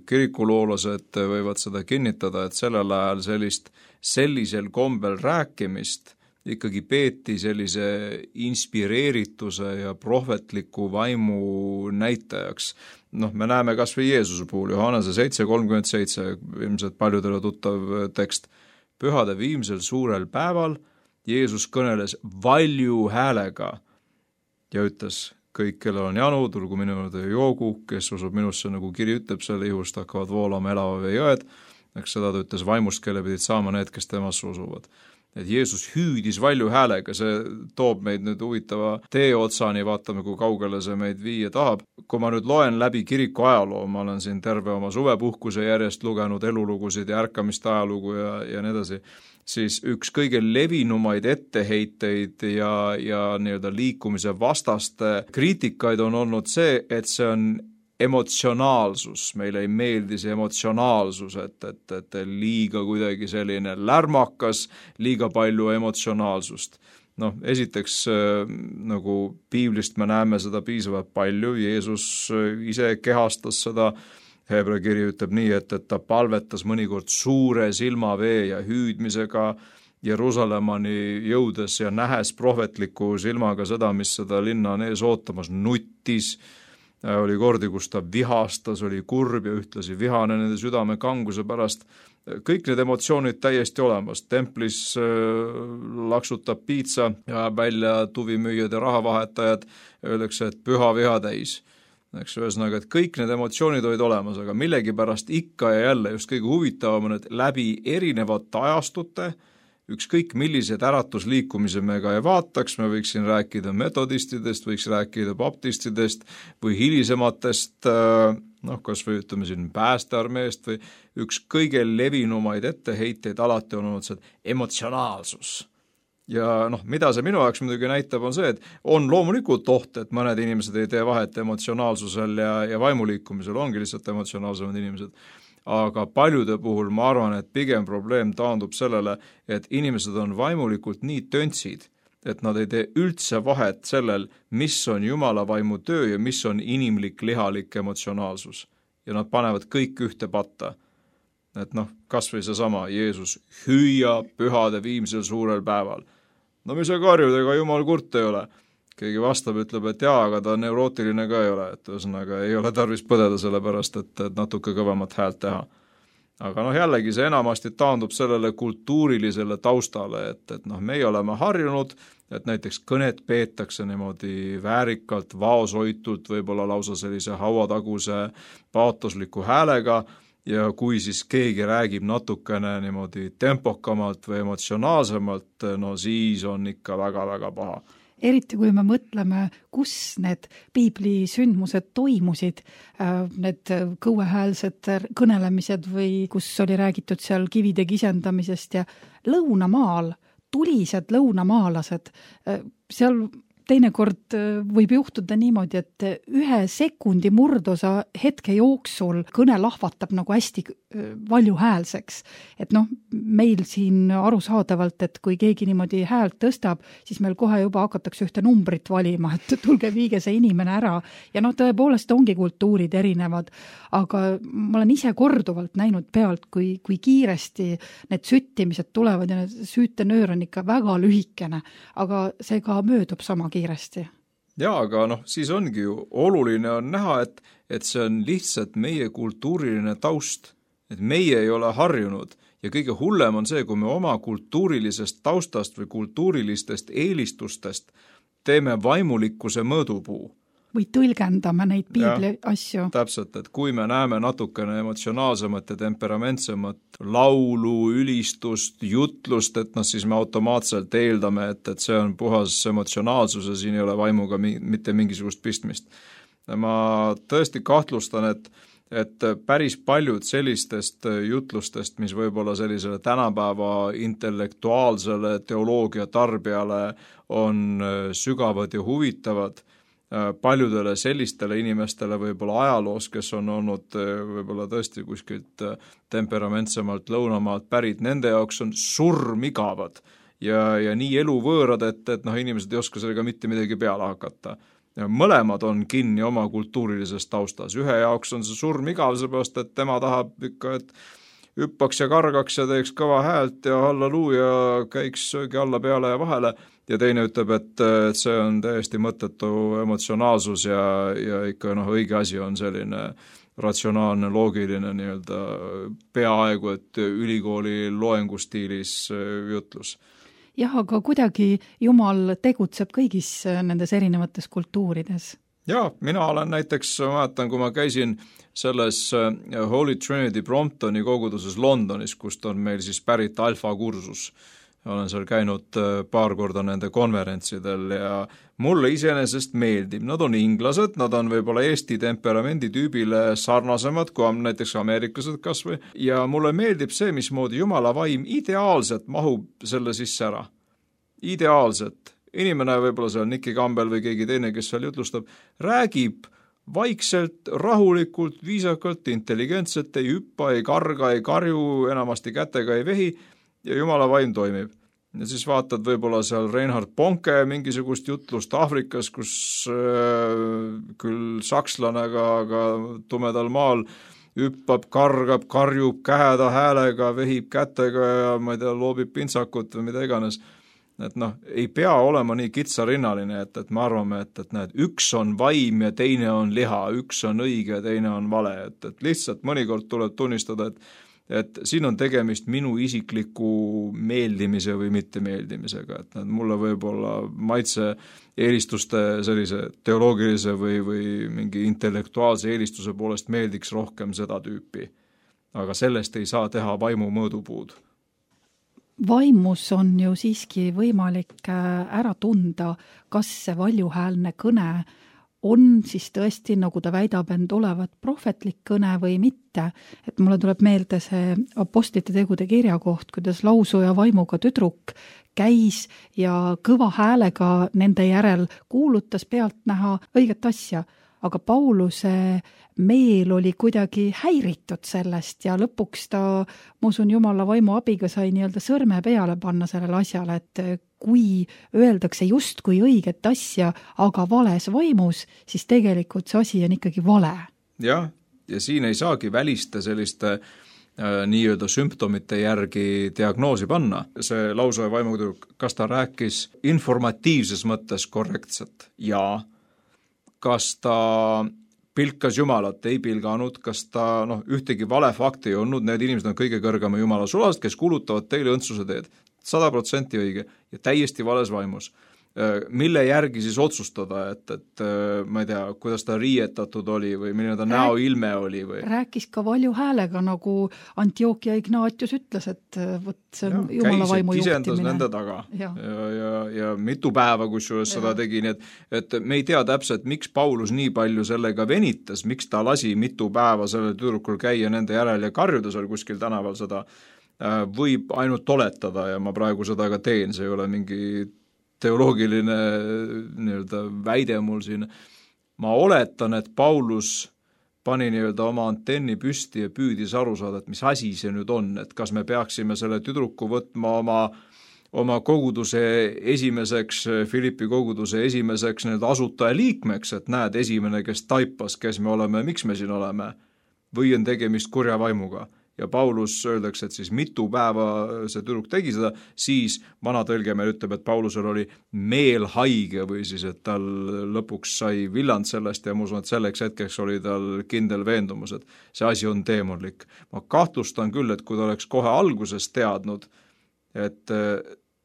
kirikuloolased võivad seda kinnitada, et sellel ajal sellist sellisel kombel rääkimist ikkagi peeti sellise inspireerituse ja prohvetliku vaimu näitajaks. Noh, me näeme kas või Jeesuse puhul, Johannese seitse kolmkümmend seitse, ilmselt paljudele tuttav tekst. Pühade viimsel suurel päeval Jeesus kõneles valju häälega ja ütles, kõik, kellel on janu, tulgu minu juurde joogu, kes usub minusse, nagu kiri ütleb, selle ihust hakkavad voolama elava vee jõed, eks seda ta ütles vaimust, kelle pidid saama need, kes temasse usuvad. Et Jeesus hüüdis valju häälega, see toob meid nüüd huvitava tee otsani, vaatame, kui kaugele see meid viia tahab. Kui ma nüüd loen läbi kiriku ajaloo, ma olen siin terve oma suvepuhkuse järjest lugenud elulugusid ja ärkamiste ajalugu ja, ja nii edasi, siis üks kõige levinumaid etteheiteid ja, ja nii-öelda liikumise vastaste kriitikaid on olnud see, et see on emotsionaalsus, meile ei meeldi see emotsionaalsus, et, et, et liiga kuidagi selline lärmakas, liiga palju emotsionaalsust. Noh, esiteks nagu piiblist me näeme seda piisavalt palju, Jeesus ise kehastas seda, Hebra kiri ütleb nii, et, et ta palvetas mõnikord suure silmavee ja hüüdmisega Jeruusalemmani jõudes ja nähes prohvetliku silmaga seda, mis seda linna on ees ootamas, nuttis, oli kordi, kus ta vihastas, oli kurb ja ühtlasi vihane nende südame kanguse pärast. Kõik need emotsioonid täiesti olemas. Templis laksutab piitsa ja välja tuvimüüjad ja rahavahetajad, öeldakse, et püha viha täis. Eks ühesõnaga, et kõik need emotsioonid olid olemas, aga millegipärast ikka ja jälle just kõige huvitavam on, et läbi erinevate ajastute ükskõik millised äratusliikumise me ka ei vaataks, me võiks siin rääkida metodistidest, võiks rääkida baptistidest või hilisematest, noh, kas või ütleme siin päästearmeest või üks kõige levinumaid etteheiteid alati on olnud see emotsionaalsus. Ja noh, mida see minu jaoks muidugi näitab on see, et on loomulikult oht, et mõned inimesed ei tee vahet emotsionaalsusel ja, ja vaimuliikumisel, ongi lihtsalt emotsionaalsemad inimesed. Aga paljude puhul ma arvan, et pigem probleem taandub sellele, et inimesed on vaimulikult nii töntsid, et nad ei tee üldse vahet sellel, mis on Jumala vaimu töö ja mis on inimlik lihalik emotsionaalsus. Ja nad panevad kõik ühte patta. Et noh, kas või seesama Jeesus hüüa pühade viimsel suurel päeval. No mis see karjud, ega Jumal kurt ei ole. Keegi vastab, ütleb, et jaa, aga ta neurootiline ka ei ole, et ühesõnaga ei ole tarvis põdeda selle pärast, et, et natuke kõvemat häält teha. Aga noh, jällegi see enamasti taandub sellele kultuurilisele taustale, et, et noh, meie oleme harjunud, et näiteks kõnet peetakse niimoodi väärikalt, vaoshoitult, võib-olla lausa sellise hauataguse paatosliku häälega, ja kui siis keegi räägib natukene niimoodi tempokamalt või emotsionaalsemalt, no siis on ikka väga-väga paha. Eriti kui me mõtleme, kus need piibli sündmused toimusid, need kõuehäälsed kõnelemised või kus oli räägitud seal kivide kisendamisest ja lõunamaal, tulised lõunamaalased, seal teinekord võib juhtuda niimoodi, et ühe sekundi murdosa hetke jooksul kõne lahvatab nagu hästi valjuhäälseks. Et noh, meil siin arusaadavalt, et kui keegi niimoodi häält tõstab, siis meil kohe juba hakatakse ühte numbrit valima, et tulge viige see inimene ära. Ja noh, tõepoolest ongi kultuurid erinevad, aga ma olen ise korduvalt näinud pealt, kui, kui kiiresti need süttimised tulevad ja need süütenöör on ikka väga lühikene, aga see ka möödub sama kiiresti. Jaa, aga noh, siis ongi ju oluline on näha, et, et see on lihtsalt meie kultuuriline taust, et meie ei ole harjunud ja kõige hullem on see, kui me oma kultuurilisest taustast või kultuurilistest eelistustest teeme vaimulikkuse mõõdupuu. või tõlgendame neid piibli ja, asju. Täpselt, et kui me näeme natukene emotsionaalsemat ja temperamentsemat laulu, ülistust, jutlust, et noh, siis me automaatselt eeldame, et, et see on puhas emotsionaalsus ja siin ei ole vaimuga mi- mitte mingisugust pistmist. Ma tõesti kahtlustan, et et päris paljud sellistest jutlustest, mis võib-olla sellisele tänapäeva intellektuaalsele teoloogia tarbijale on sügavad ja huvitavad, paljudele sellistele inimestele võib-olla ajaloos, kes on olnud võib-olla tõesti kuskilt temperamentsemalt lõunamaalt pärit, nende jaoks on surmigavad ja, ja nii eluvõõrad, et, et noh, inimesed ei oska sellega mitte midagi peale hakata. Mõlemad on kinni oma kultuurilises taustas. Ühe jaoks on see surmigav, seepärast, et tema tahab ikka, et hüppaks ja kargaks ja teeks kõva häält ja halleluuja käiks söögi alla, peale ja vahele. Ja teine ütleb, et see on täiesti mõttetu emotsionaalsus ja, ja ikka noh, õige asi on selline ratsionaalne, loogiline nii-öelda peaaegu, et ülikooli loengustiilis jutlus. Jah, aga kuidagi Jumal tegutseb kõigis nendes erinevates kultuurides. Jaa, mina olen näiteks, mäletan, kui ma käisin selles Holy Trinity Bromptoni koguduses Londonis, kust on meil siis pärit alfa-kursus. Olen seal käinud paar korda nende konverentsidel ja mulle iseenesest meeldib. Nad on inglased, nad on võib-olla Eesti temperamendi tüübile sarnasemad, kui on näiteks ameeriklased kas või. Ja mulle meeldib see, mismoodi Jumala vaim ideaalselt mahub selle sisse ära. Ideaalselt. Inimene võib-olla seal Nicky Campbell või keegi teine, kes seal jutlustab, räägib vaikselt, rahulikult, viisakalt, intelligentselt, ei hüppa, ei karga, ei karju, enamasti kätega ei vehi ja Jumala vaim toimib. Ja siis vaatad võib-olla seal Reinhard Bonke mingisugust jutlust Aafrikas, kus äh, küll sakslane, aga, aga tumedal maal hüppab, kargab, karjub käheda häälega, vehib kätega ja ma ei tea, loobib pintsakut või mida iganes. Et noh, ei pea olema nii kitsarinnaline, et, et me arvame, et, et näed, üks on vaim ja teine on liha, üks on õige ja teine on vale, et, et lihtsalt mõnikord tuleb tunnistada, et et siin on tegemist minu isikliku meeldimise või mittemeeldimisega, et need mulle võib-olla maitse eelistuste sellise teoloogilise või, või mingi intellektuaalse eelistuse poolest meeldiks rohkem seda tüüpi. Aga sellest ei saa teha vaimu mõõdupuud. Vaimus on ju siiski võimalik ära tunda, kas see valjuhäälne kõne on siis tõesti, nagu ta väidab end olevat prohvetlik kõne või mitte. Et mulle tuleb meelde see apostlite tegude kirja koht, kuidas lausuja vaimuga tüdruk käis ja kõva häälega nende järel kuulutas pealtnäha õiget asja. Aga Pauluse meel oli kuidagi häiritud sellest ja lõpuks ta, ma usun, Jumala vaimu abiga sai nii-öelda sõrme peale panna sellele asjale, et kui öeldakse just kui õiget asja, aga vales vaimus, siis tegelikult see asi on ikkagi vale. Jah, ja siin ei saagi välista selliste äh, nii-öelda sümptomite järgi diagnoosi panna. See lausuja vaimuga, kas ta rääkis informatiivses mõttes korrektselt? Jaa. Kas ta pilkas Jumalat, ei pilganud, kas ta noh, ühtegi vale fakti ei olnud, need inimesed on kõige kõrgema Jumala sulast, kes kuulutavad teile õndsuse teed. sada protsenti õige ja täiesti vales vaimus. Mille järgi siis otsustada, et, et ma ei tea, kuidas ta riietatud oli või milline ta Rääk... näoilme oli? Või? Rääkis ka valju häälega, nagu Antiokia Ignatius ütles, et võt, see on ja, Jumala vaimu juhtimine. Isendas nende taga ja, ja, ja, ja mitu päeva, kus juures seda tegi, nii et, et me ei tea täpselt, miks Paulus nii palju sellega venitas, miks ta lasi mitu päeva sellel tüdrukul käia nende järel ja karjuda seal kuskil tänaval seda, võib ainult oletada ja ma praegu seda ka teen, see ei ole mingi teoloogiline nii-öelda väide mul siin. Ma oletan, et Paulus pani nii-öelda oma antenni püsti ja püüdis aru saada, et mis asi see nüüd on, et kas me peaksime selle tüdruku võtma oma, oma koguduse esimeseks, Filippi koguduse esimeseks nii-öelda asutaja liikmeks, et näed esimene, kes taipas, kes me oleme, miks me siin oleme, või on tegemist kurja vaimuga. Ja Paulus öeldakse, et siis mitu päeva see tüdruk tegi seda, siis vana tõlge meil ütleb, et Paulusel oli meel haige või siis, et tal lõpuks sai villand sellest ja ma usun, et selleks hetkeks oli tal kindel veendumus, et see asi on teemonlik. Ma kahtlustan küll, et kui ta oleks kohe alguses teadnud, et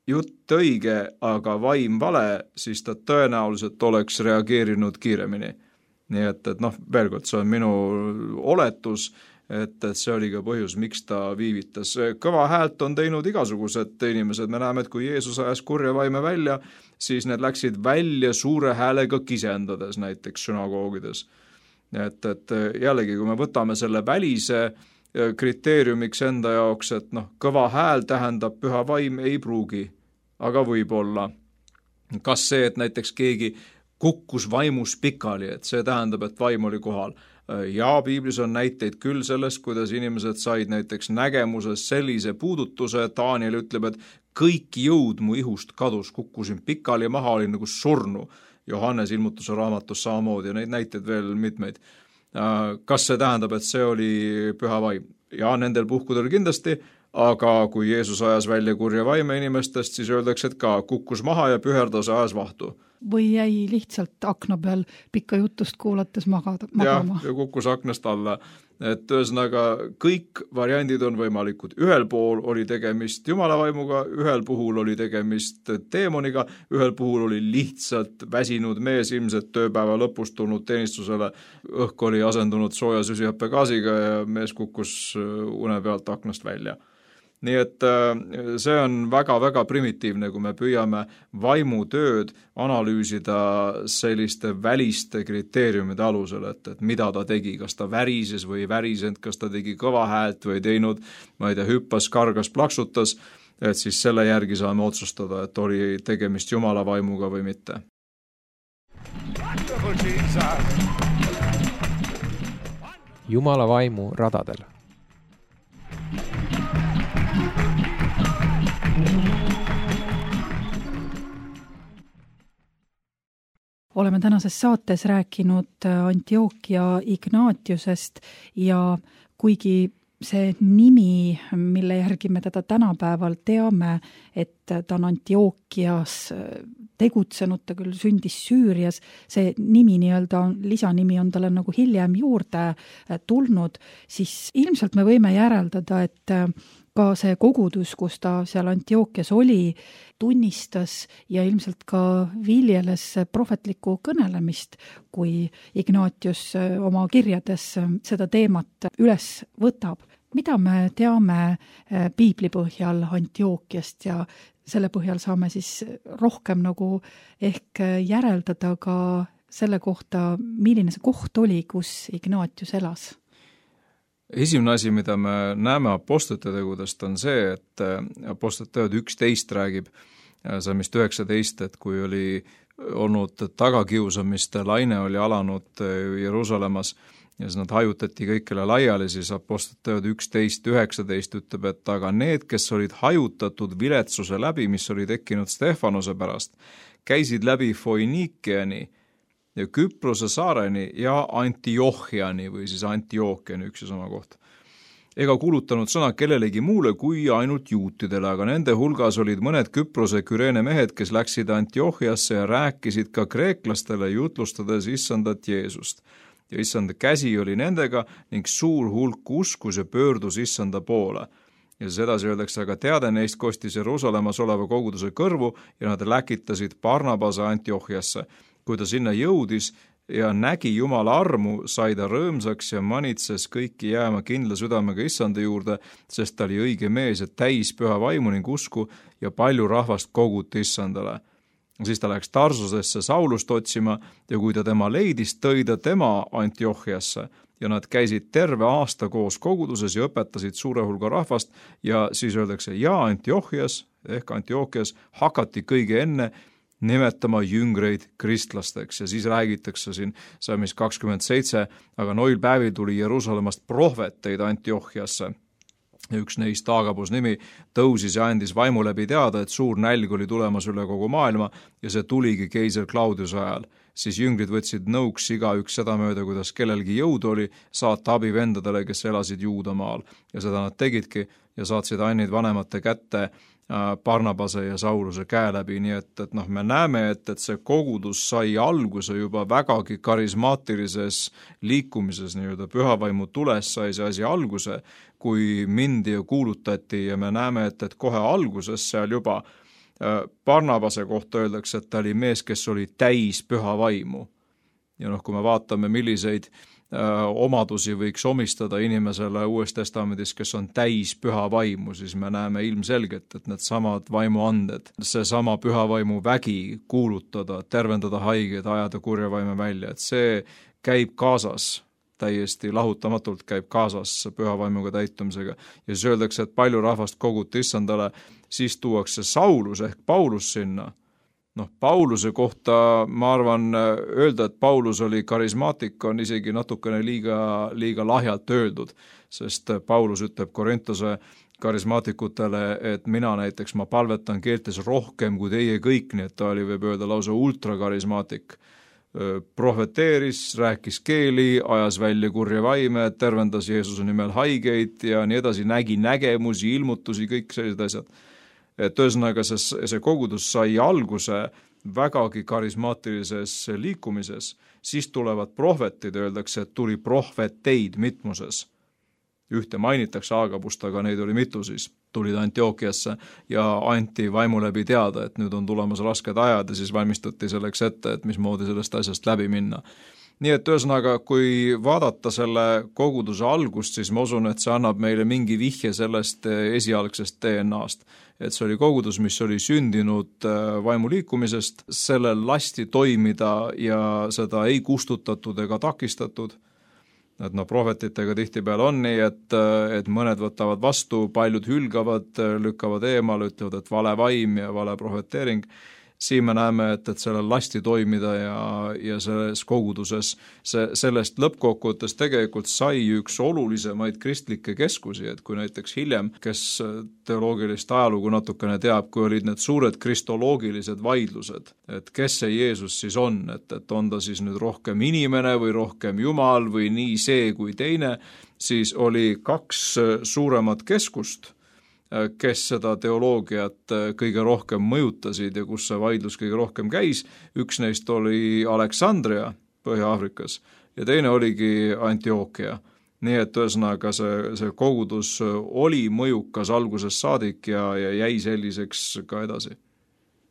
jutt õige, aga vaim vale, siis ta tõenäoliselt oleks reageerinud kiiremini. Nii et, et noh, veel kord, see on minu oletus, et, et see oli ka põhjus, miks ta viivitas. Kõva häält on teinud igasugused inimesed. Me näeme, et kui Jeesus ajas kurja vaime välja, siis need läksid välja suure häälega kisendades näiteks sünagoogides. Et, et jällegi, kui me võtame selle välise kriteeriumiks enda jaoks, et noh, kõva hääl tähendab püha vaim, ei pruugi, aga võib-olla. Kas see, et näiteks keegi kukkus vaimus pikali, et see tähendab, et vaim oli kohal. Ja piiblis on näiteid küll sellest, kuidas inimesed said näiteks nägemuses sellise puudutuse, et Daniel ütleb, et kõik jõud mu ihust kadus, kukkusin pikali maha, olin nagu surnu. Johannes ilmutuse raamatus samamoodi ja neid näiteid veel mitmeid. Kas see tähendab, et see oli püha vaim? Ja nendel puhkudel kindlasti, aga kui Jeesus ajas välja kurja vaime inimestest, siis öeldakse, et ka kukkus maha ja püherdas ajas vahtu. Või jäi lihtsalt akna peal pikka jutust kuulates magada, magama. Ja, ja kukkus aknast alla. Et ühesõnaga, kõik variandid on võimalikud. Ühel pool oli tegemist Jumala vaimuga, ühel puhul oli tegemist teemoniga, ühel puhul oli lihtsalt väsinud mees ilmselt tööpäeva lõpust tulnud teenistusele. Õhk oli asendunud sooja süsihappegaasiga ja mees kukkus une pealt aknast välja. Nii et see on väga-väga primitiivne, kui me püüame vaimutööd analüüsida selliste väliste kriteeriumide alusel, et, et mida ta tegi, kas ta värises või värisend, kas ta tegi kõva häält või teinud, ma ei tea, hüppas, kargas, plaksutas, et siis selle järgi saame otsustada, et oli tegemist Jumala vaimuga või mitte. Jumala vaimu radadel. Oleme tänases saates rääkinud Antiochia Ignatiusest ja kuigi see nimi, mille järgi me teda tänapäeval teame, et ta on Antiochias tegutsenud, ta küll sündis Süürias, see nimi nii-öelda, lisanimi on talle nagu hiljem juurde tulnud, siis ilmselt me võime järeldada, et ka see kogudus, kus ta seal Antiochias oli, tunnistas ja ilmselt ka viljeles prohvetlikku kõnelemist, kui Ignatius oma kirjades seda teemat üles võtab. Mida me teame piibli põhjal Antiochiast ja selle põhjal saame siis rohkem nagu ehk järeldada ka selle kohta, milline see koht oli, kus Ignatius elas? Esimene asi, mida me näeme apostlite tegudest, on see, et apostlite teod üksteist räägib saamist üheksateist, et kui oli olnud tagakiusamiste laine, oli alanud Jeruusalemmas ja siis nad hajutati kõikele laiali, siis apostlite teod üksteist üheksateist ütleb, et aga need, kes olid hajutatud viletsuse läbi, mis oli tekkinud Stefanose pärast, käisid läbi Foinikiani ja Küprose saareni ja Antiochiani või siis Antiochiani üks ja sama koht. Ega kuulutanud sõna kellelegi muule kui ainult juutidele, aga nende hulgas olid mõned Küprose Küreene mehed, kes läksid Antiochiasse ja rääkisid ka kreeklastele jutlustades issandat Jeesust. Ja issanda käsi oli nendega ning suur hulk uskus ja pöördus issanda poole. Ja siis edasi öeldakse, aga teade neist kostis Jeruusalemmas oleva koguduse kõrvu ja nad läkitasid Barnabase Antiochiasse. Kui ta sinna jõudis ja nägi Jumala armu, sai ta rõõmsaks ja manitses kõiki jääma kindla südamega issanda juurde, sest ta oli õige mees ja täis püha vaimu ning usku ja palju rahvast koguti issandale. Siis ta läks Tarsusesse Saulust otsima ja kui ta tema leidis, tõi ta tema Antiochiasse ja nad käisid terve aasta koos koguduses ja õpetasid suure hulga rahvast ja siis öeldakse, ja Antiochias ehk Antiochias hakati kõige enne nimetama jüngreid kristlasteks ja siis räägitakse siin Salmis kakskümmend seitse, aga noil päevil tuli Jeruusalemmast prohveteid Antiochiasse. Ja üks neist Agabus nimi tõusis ja andis vaimu läbi teada, et suur nälg oli tulemas üle kogu maailma ja see tuligi keiser Claudiuse ajal. Siis jüngrid võtsid nõuks iga üks seda mööda, kuidas kellelgi jõud oli saata abi vendadele, kes elasid Juudamaal. Ja seda nad tegidki ja saatsid ainid vanemate kätte Barnabase ja Sauluse käe läbi, nii et, et noh, me näeme, et, et see kogudus sai alguse juba vägagi karismaatilises liikumises, nii-öelda pühavaimu tules sai see asi alguse, kui mindi ja kuulutati ja me näeme, et, et kohe alguses seal juba Barnabase kohta öeldakse, et ta oli mees, kes oli täis püha vaimu. Ja noh, kui me vaatame, milliseid omadusi võiks omistada inimesele Uues Testamendis, kes on täis püha vaimu, siis me näeme ilmselgelt, et need samad vaimuanded, see sama püha vaimu vägi kuulutada, tervendada haigeid, ajada kurja vaime välja, et see käib kaasas, täiesti lahutamatult käib kaasas püha vaimuga täitumisega. Ja siis öeldakse, et palju rahvast koguti issandale, siis tuuakse Saulus ehk Paulus sinna. Noh, Pauluse kohta ma arvan öelda, et Paulus oli karismaatik, on isegi natukene liiga, liiga lahjalt öeldud, sest Paulus ütleb Korintuse karismaatikutele, et mina näiteks, ma palvetan keeltes rohkem kui teie kõik, nii et ta oli, võib öelda, lausa ultrakarismaatik. Profeteeris, rääkis keeli, ajas välja kurja vaime, tervendas Jeesuse nimel haigeid ja nii edasi, nägi nägemusi, ilmutusi, kõik sellised asjad. Et ühesõnaga see, see kogudus sai alguse vägagi karismaatilises liikumises, siis tulevad prohvetid, öeldakse, et tuli prohveteid mitmuses. Ühte mainitakse Aagabust, aga neid oli mitu siis, tulid Antiookiasse ja anti vaimu läbi teada, et nüüd on tulemas rasked ajad ja siis valmistuti selleks ette, et mismoodi sellest asjast läbi minna. Nii et ühesõnaga, kui vaadata selle koguduse algust, siis ma usun, et see annab meile mingi vihje sellest esialgsest D N A-st. Et see oli kogudus, mis oli sündinud vaimuliikumisest, sellel lasti toimida ja seda ei kustutatud ega takistatud. Et no prohvetitega tihtipeale on nii, et, et mõned võtavad vastu, paljud hülgavad, lükkavad eemal, ütlevad, et vale vaim ja vale prohveteering. Siin me näeme, et, et sellel lasti toimida ja, ja selles koguduses see, sellest lõppkokkuvõttes tegelikult sai üks olulisemaid kristlikke keskusi, et kui näiteks hiljem, kes teoloogilist ajalugu natukene teab, kui olid need suured kristoloogilised vaidlused, et kes see Jeesus siis on, et, et on ta siis nüüd rohkem inimene või rohkem Jumal või nii see kui teine, siis oli kaks suuremat keskust, kes seda teoloogiat kõige rohkem mõjutasid ja kus see vaidlus kõige rohkem käis. Üks neist oli Aleksandria Põhja-Aafrikas ja teine oligi Antiookia. Nii et ühesõnaga see, see kogudus oli mõjukas algusest saadik ja, ja jäi selliseks ka edasi.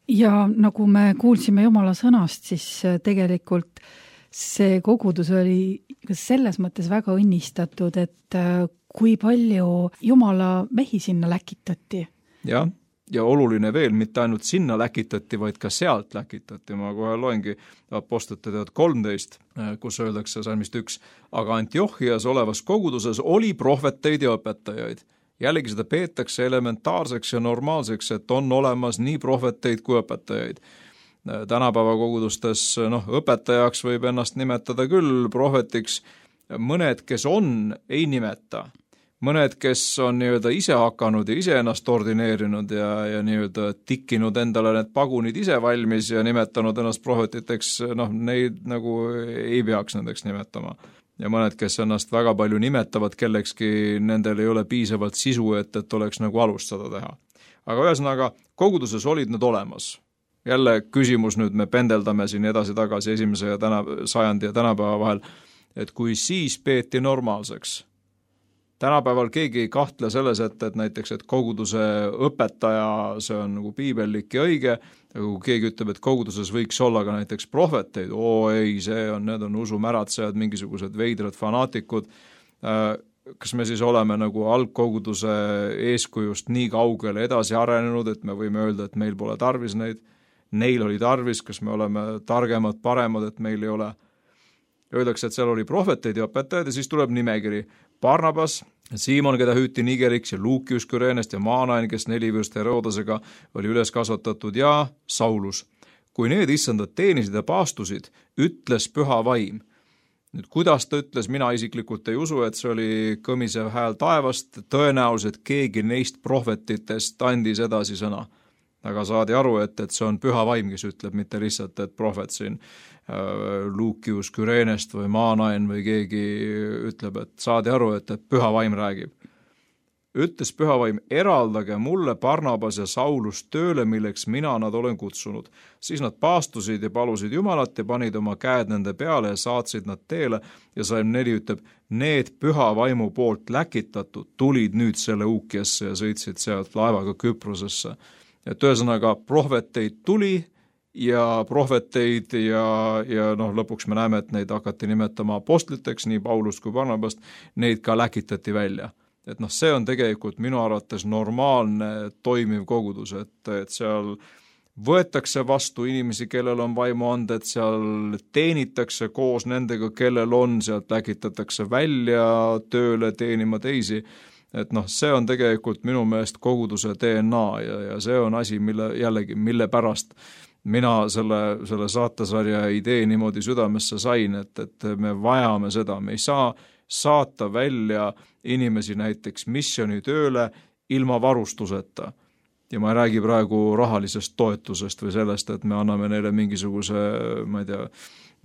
Ja nagu me kuulsime Jumala sõnast, siis tegelikult see kogudus oli selles mõttes väga õnnistatud, et kui palju Jumala mehi sinna läkitati. Jah, ja oluline veel, mitte ainult sinna läkitati, vaid ka sealt läkitati. Ma kohe loengi Apostlite teod kolmteist, kus öeldakse salmist üks, aga Antiochias olevas koguduses oli prohveteid ja õpetajaid. Jällegi seda peetakse elementaarseks ja normaalseks, et on olemas nii prohveteid kui õpetajaid. Tänapäeva kogudustes noh, õpetajaks võib ennast nimetada küll, prohvetiks mõned, kes on, ei nimeta. Mõned, kes on nii-öelda ise hakanud ja ise ennast ordineerinud ja, ja nii-öelda tikkinud endale need pagunid ise valmis ja nimetanud ennast prohvetiteks, noh, neid nagu ei peaks nendeks nimetama. Ja mõned, kes ennast väga palju nimetavad kellekski, nendel ei ole piisavalt sisu, et, et oleks nagu alustada teha. Aga ühesõnaga, koguduses olid need olemas. Jälle küsimus nüüd, me pendeldame siin edasi-tagasi esimese ja täna, sajandi ja tänapäeva vahel, et kui siis peeti normaalseks. Tänapäeval keegi ei kahtle selles, et, et näiteks, et koguduse õpetaja, see on nagu piibellik ja õige, aga kui keegi ütleb, et koguduses võiks olla ka näiteks prohveteid, oo ei, see on, need on usumäratsejad, mingisugused veidrad fanaatikud, kas me siis oleme nagu algkoguduse eeskujust nii kaugele edasi arenenud, et me võime öelda, et meil pole tarvis neid, neil oli tarvis, kas me oleme targemad, paremad, et meil ei ole. Öeldakse, et seal oli prohveteid ja õpetajad ja siis tuleb nimekiri. Barnabas, Siimon, keda hüüti Nigeriks ja Luukius Küreenest ja Maanain, kes Nelivõst Herodesega oli üles kasvatatud ja Saulus. Kui need issandad teenisid ja paastusid, ütles püha vaim. Nüüd, kuidas ta ütles, mina isiklikult ei usu, et see oli kõmisev hääl taevast, tõenäoliselt keegi neist prohvetitest andis edasi sõna. Aga saadi aru, et, et see on püha vaim, kes ütleb, mitte lihtsalt, et prohvet siin äh, Luukius Küreenest või Maanain või keegi ütleb, et saadi aru, et, et püha vaim räägib. Ütles püha vaim, eraldage mulle Barnabas ja Saulus tööle, milleks mina nad olen kutsunud. Siis nad paastusid ja palusid Jumalat ja panid oma käed nende peale ja saatsid nad teele ja Salm neli ütleb, need püha vaimu poolt läkitatud tulid nüüd selle Uukiasse ja sõitsid sealt laevaga Küprosesse. et ühesõnaga prohveteid tuli ja prohveteid ja, ja noh, lõpuks me näeme, et neid hakati nimetama apostliteks, nii Paulust kui Barnabast, neid ka läkitati välja. Et noh, see on tegelikult minu arvates normaalne toimiv kogudus, et, et seal võetakse vastu inimesi, kellel on vaimuanded, seal teenitakse koos nendega, kellel on, sealt läkitatakse välja tööle teenima teisi. Et noh, see on tegelikult minu meelest koguduse D N A ja, ja see on asi, mille jällegi, mille pärast mina selle, selle saatesarja idee niimoodi südamesse sain, et, et me vajame seda, me ei saa saata välja inimesi näiteks missioonitööle ilma varustuseta. Ja ma ei räägi praegu rahalisest toetusest või sellest, et me anname neile mingisuguse, ma ei tea,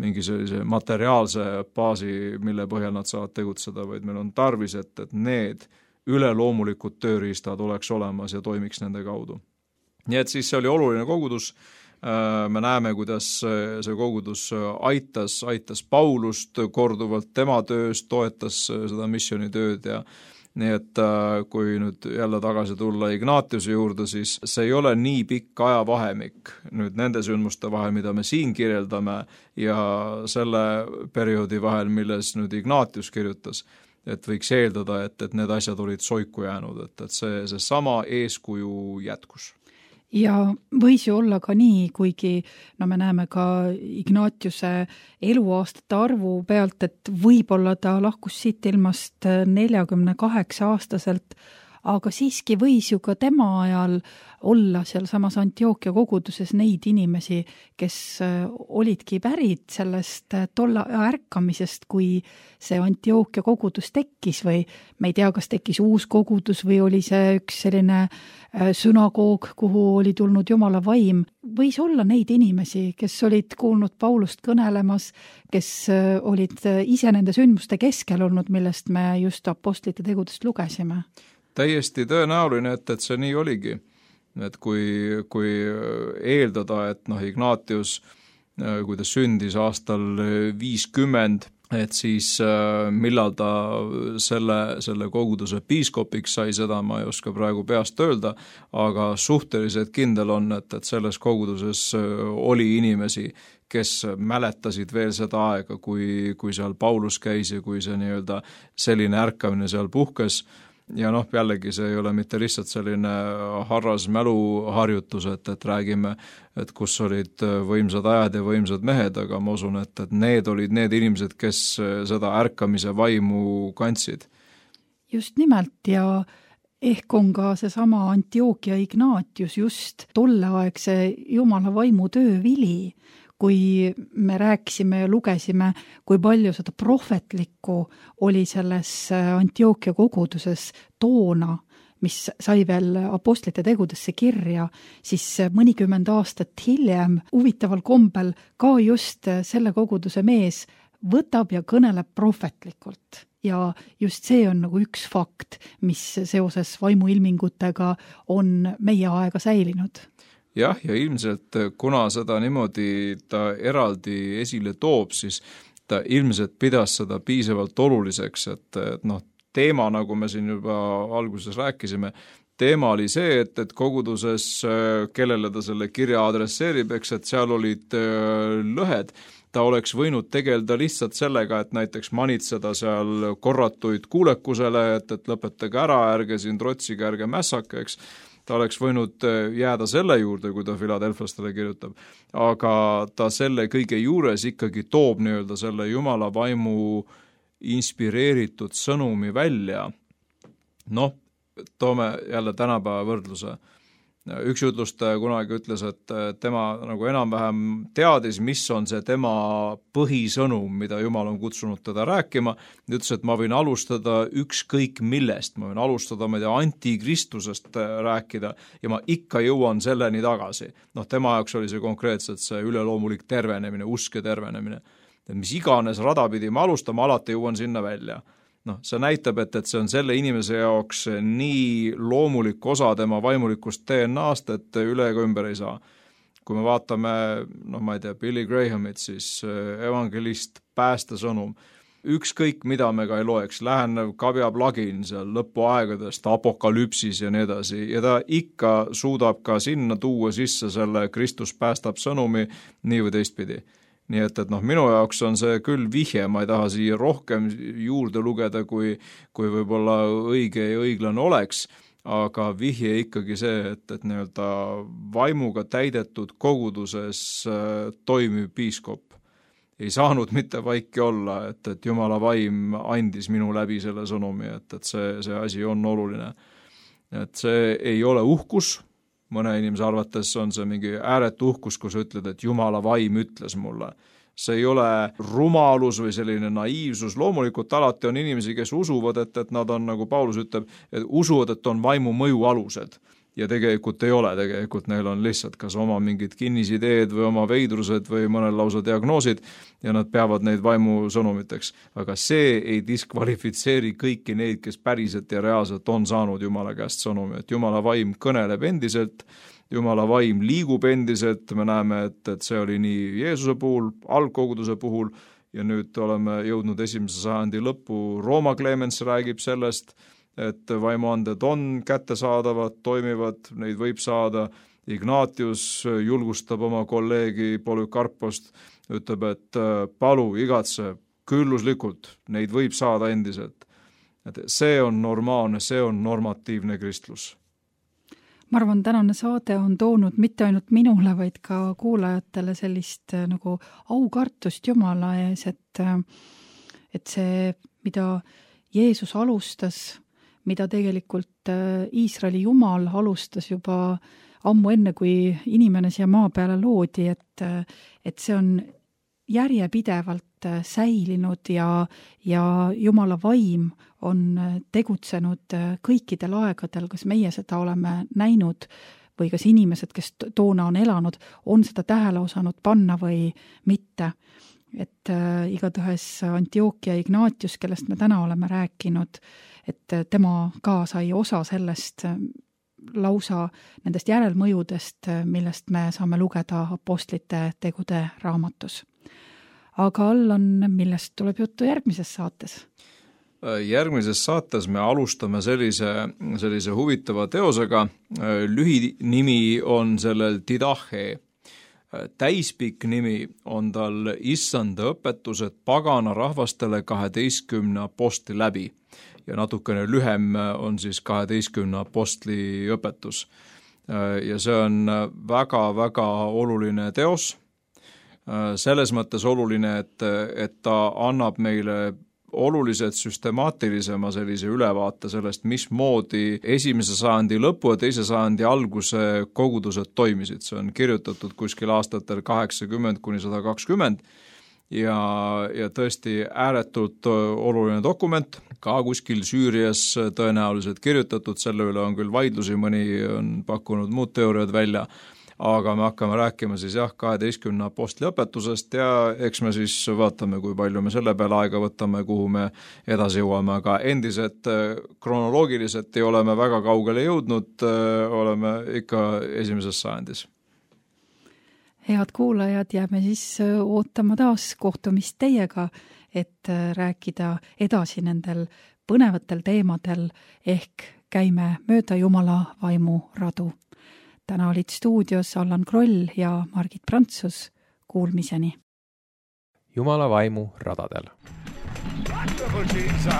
mingi sellise materiaalse baasi, mille põhjal nad saavad tegutseda, vaid meil on tarvis, et, et need üleloomulikud tööriistad oleks olemas ja toimiks nende kaudu. Nii et siis see oli oluline kogudus, me näeme, kuidas see kogudus aitas, aitas Paulust korduvalt tema töös, toetas seda missioonitööd ja nii et kui nüüd jälle tagasi tulla Ignatiuse juurde, siis see ei ole nii pikk ajavahemik nüüd nende sündmuste vahel, mida me siin kirjeldame ja selle perioodi vahel, milles nüüd Ignatius kirjutas, et võiks eeldada, et, et need asjad olid soiku jäänud, et, et see, see sama eeskuju jätkus. Ja võis ju olla ka nii, kuigi no me näeme ka Ignatiuse eluaastate arvu pealt, et võib-olla ta lahkus siit ilmast neljakümne kaheksa aastaselt, aga siiski võis ju ka tema ajal olla seal samas Antioquia koguduses neid inimesi, kes olidki pärid sellest tolla ärkamisest, kui see Antioquia kogudus tekkis või me ei tea, kas tekkis uus kogudus või oli see üks selline sünagoog, kuhu oli tulnud Jumala vaim. Võis olla neid inimesi, kes olid kuulnud Paulust kõnelemas, kes olid ise nende sündmuste keskel olnud, millest me just apostlite tegudest lugesime. Täiesti tõenäoline, et, et see nii oligi. Et kui, kui eeldada, et noh, Ignatius, kui ta sündis aastal viiskümmend, et siis millal ta selle, selle koguduse piiskopiks sai, seda ma ei oska praegu peast öelda, aga suhteliselt kindel on, et, et selles koguduses oli inimesi, kes mäletasid veel seda aega, kui, kui seal Paulus käis ja kui see nii-öelda selline ärkamine seal puhkes. Ja noh, jällegi see ei ole mitte lihtsalt selline harras mäluharjutus, et, et räägime, et kus olid võimsad ajad ja võimsad mehed, aga ma usun, et, et need olid need inimesed, kes seda ärkamise vaimu kandsid. Just nimelt ja ehk on ka seesama Antioquia Ignatius just tolleaegse Jumala vaimu töövili, kui me rääkisime ja lugesime, kui palju seda prohvetlikku oli selles Antioquia koguduses toona, mis sai veel apostlite tegudesse kirja, siis mõnikümmend aastat hiljem huvitaval kombel ka just selle koguduse mees võtab ja kõneleb prohvetlikult. Ja just see on nagu üks fakt, mis seoses vaimuilmingutega on meie aega säilinud. Jah, ja ilmselt kuna seda niimoodi ta eraldi esile toob, siis ta ilmselt pidas seda piisavalt oluliseks, et, et noh, teema, nagu me siin juba alguses rääkisime, teema oli see, et, et koguduses, kellele ta selle kirja adresseerib, eks, et seal olid lõhed, ta oleks võinud tegeleda lihtsalt sellega, et näiteks manitseda seal korratuid kuulekusele, et, et lõpetage ära, ärge siin trotsige, ärge mässake, eks. Ta oleks võinud jääda selle juurde, kui ta Philadelphastele kirjutab, aga ta selle kõige juures ikkagi toob nii-öelda selle Jumala vaimu inspireeritud sõnumi välja. Noh, toome jälle tänapäeva võrdluse. Üks jutlustaja kunagi ütles, et tema nagu enam-vähem teadis, mis on see tema põhisõnum, mida Jumal on kutsunud teda rääkima. Ta ütles, et ma võin alustada ükskõik millest, ma võin alustada, ma ei tea, antikristusest rääkida ja ma ikka jõuan selleni tagasi. Noh, tema jaoks oli see konkreetselt see üleloomulik tervenemine, uske tervenemine. Et mis iganes rada pidi ma alustama, alati jõuan sinna välja. noh, see näitab, et, et see on selle inimese jaoks nii loomulik osa tema vaimulikust D N A-st, et üle ega ümber ei saa. Kui me vaatame, noh ma ei tea, Billy Grahamit, siis evangelist, päästesõnum, ükskõik, mida me ka ei loeks, lähenev kabjaplagin seal lõpuaegadest, apokalüpsis ja nii edasi, ja ta ikka suudab ka sinna tuua sisse selle Kristus päästab sõnumi nii või teistpidi. Nii et, et noh, minu jaoks on see küll vihje, ma ei taha siia rohkem juurde lugeda, kui, kui võib-olla õige ja õiglane oleks, aga vihje ikkagi see, et, et nii-öelda vaimuga täidetud koguduses äh, toimiv piiskop ei saanud mitte vaiki olla, et, et Jumala vaim andis minu läbi selle sõnumi, et, et see, see asi on oluline. Et see ei ole uhkus, mõne inimese arvates on see mingi ääretu uhkus, kui sa ütled, et Jumala vaim ütles mulle. See ei ole rumalus või selline naiivsus, loomulikult alati on inimesi, kes usuvad, et, et nad on, nagu Paulus ütleb, et usuvad, et on vaimu mõju alused. Ja tegelikult ei ole, tegelikult neil on lihtsalt kas oma mingid kinnisideed või oma veidrused või mõnel lausa diagnoosid ja nad peavad neid vaimu sõnumiteks. Aga see ei diskvalifitseeri kõiki neid, kes päriselt ja reaalselt on saanud Jumala käest sõnumi, et Jumala vaim kõneleb endiselt, Jumala vaim liigub endiselt, me näeme, et, et see oli nii Jeesuse puhul, algkoguduse puhul ja nüüd oleme jõudnud esimese sajandi lõppu, Rooma Clemens räägib sellest, et vaimuanded on kättesaadavad, toimivad, neid võib saada. Ignatius julgustab oma kolleegi Polükarpost, ütleb, et palu, igatse, külluslikult, neid võib saada endiselt. Et see on normaalne, see on normatiivne kristlus. Ma arvan, tänane saade on toonud mitte ainult minule, vaid ka kuulajatele sellist nagu aukartust Jumala ees, et, et see, mida Jeesus alustas, mida tegelikult Iisraeli Jumal alustas juba ammu enne, kui inimene siia maa peale loodi, et, et see on järjepidevalt säilinud ja, ja Jumala vaim on tegutsenud kõikidel aegadel, kas meie seda oleme näinud või kas inimesed, kes toona on elanud, on seda tähele osanud panna või mitte. Et äh, igatahes Antiochia Ignatius, kellest me täna oleme rääkinud, et tema ka sai osa sellest lausa nendest järelmõjudest, millest me saame lugeda apostlite tegude raamatus. Aga Allan, millest tuleb juttu järgmises saates? Järgmises saates me alustame sellise, sellise huvitava teosega. Lühinimi on sellel Didache. Täispikk nimi on tal issanda õpetused pagana rahvastele kaheteistkümne apostli läbi ja natukene lühem on siis kaheteistkümne apostli õpetus. Ja see on väga-väga oluline teos, selles mõttes oluline, et, et ta annab meile oluliselt süstemaatilisema sellise ülevaate sellest, mismoodi esimese sajandi lõpu ja teise sajandi alguse kogudused toimisid. See on kirjutatud kuskil aastatel kaheksakümmend kuni sada kakskümmend ja, ja tõesti ääretult oluline dokument, ka kuskil Süürias tõenäoliselt kirjutatud, selle üle on küll vaidlusi, mõni on pakkunud muud teooriad välja, aga me hakkame rääkima siis jah, kaheteistkümne apostli õpetusest ja eks me siis vaatame, kui palju me selle peale aega võtame, kuhu me edasi jõuame, aga endiselt kronoloogiliselt ei ole me väga kaugele jõudnud, oleme ikka esimeses sajandis. Head kuulajad, jääme siis ootama taas kohtumist teiega, et rääkida edasi nendel põnevatel teemadel ehk käime mööda Jumala vaimu radu. Täna olid stuudios Allan Kroll ja Margit Prantsus. Kuulmiseni. Jumala vaimu radadel. Wonderful Jesus.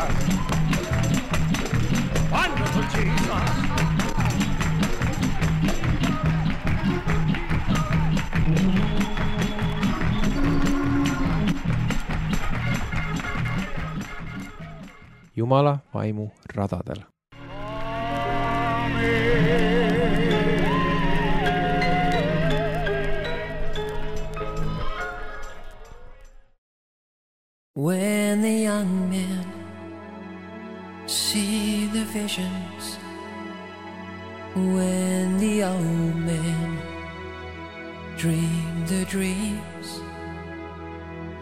Wonderful Jesus. Jumala vaimu radadel. When the young men see the visions, when the old men dream the dreams,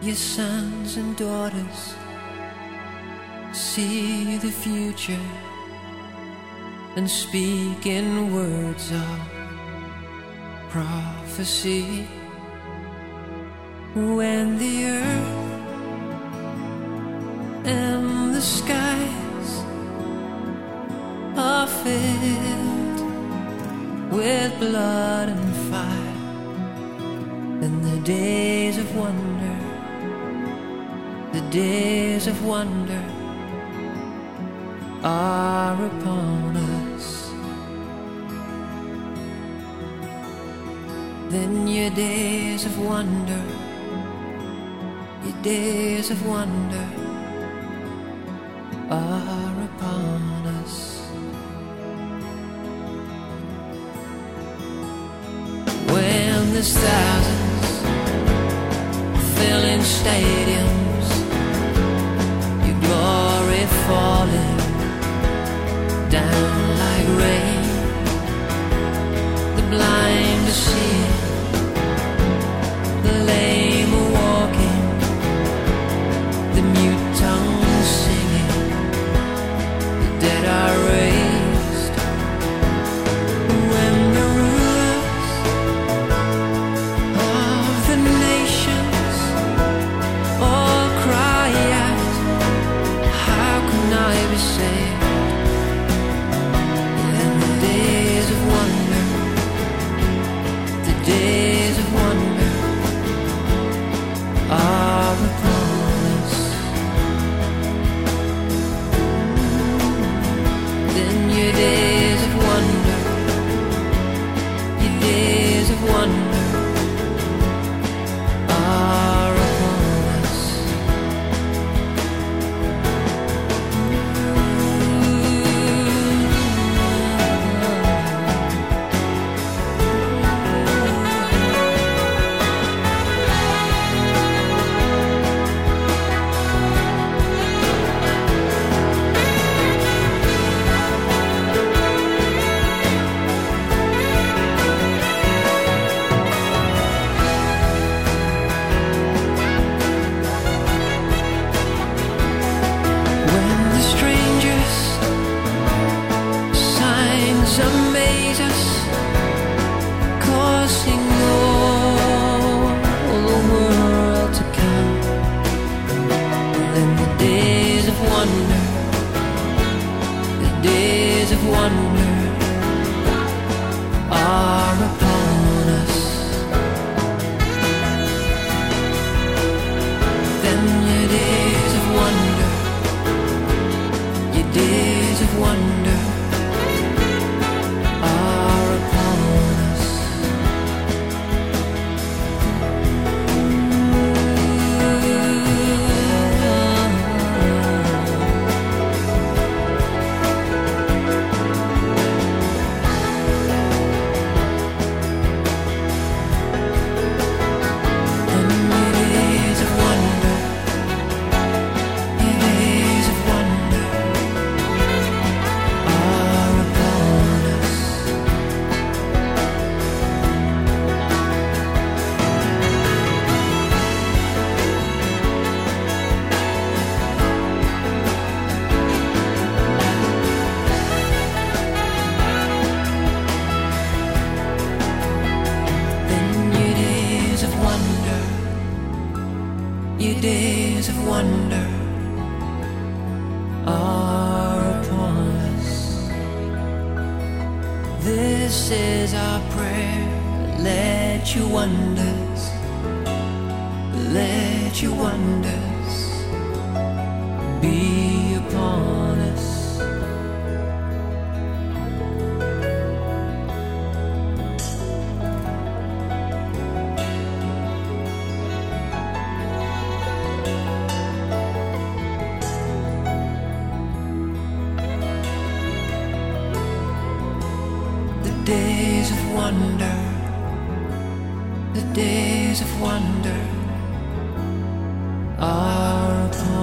your sons and daughters see the future and speak in words of prophecy. When the earth and the skies are filled with blood and fire, and the days of wonder, the days of wonder are upon us. Then your days of wonder, your days of wonder are upon us. When there's thousands filling stadiums, your glory falling down like rain, the blind are seeing, the lame are walking, the mute tongues singing, the dead are raised. When the rulers of the nations all cry out, how can I be saved? And the days of wonder, the days of wonder are upon us. Then your days of wonder, your days of wonder are upon us. When the strangers' signs amaze us, causing all the world to come, then the days of wonder, the days of wonder are upon us. Then your days of wonder, your days of wonder are upon us. Then your days of wonder, your days of wonder are upon us. Then your days of wonder, your days of wonder are upon us. This is our prayer. Let your wonders, let your wonders be upon us. The days of wonder, the days of wonder are upon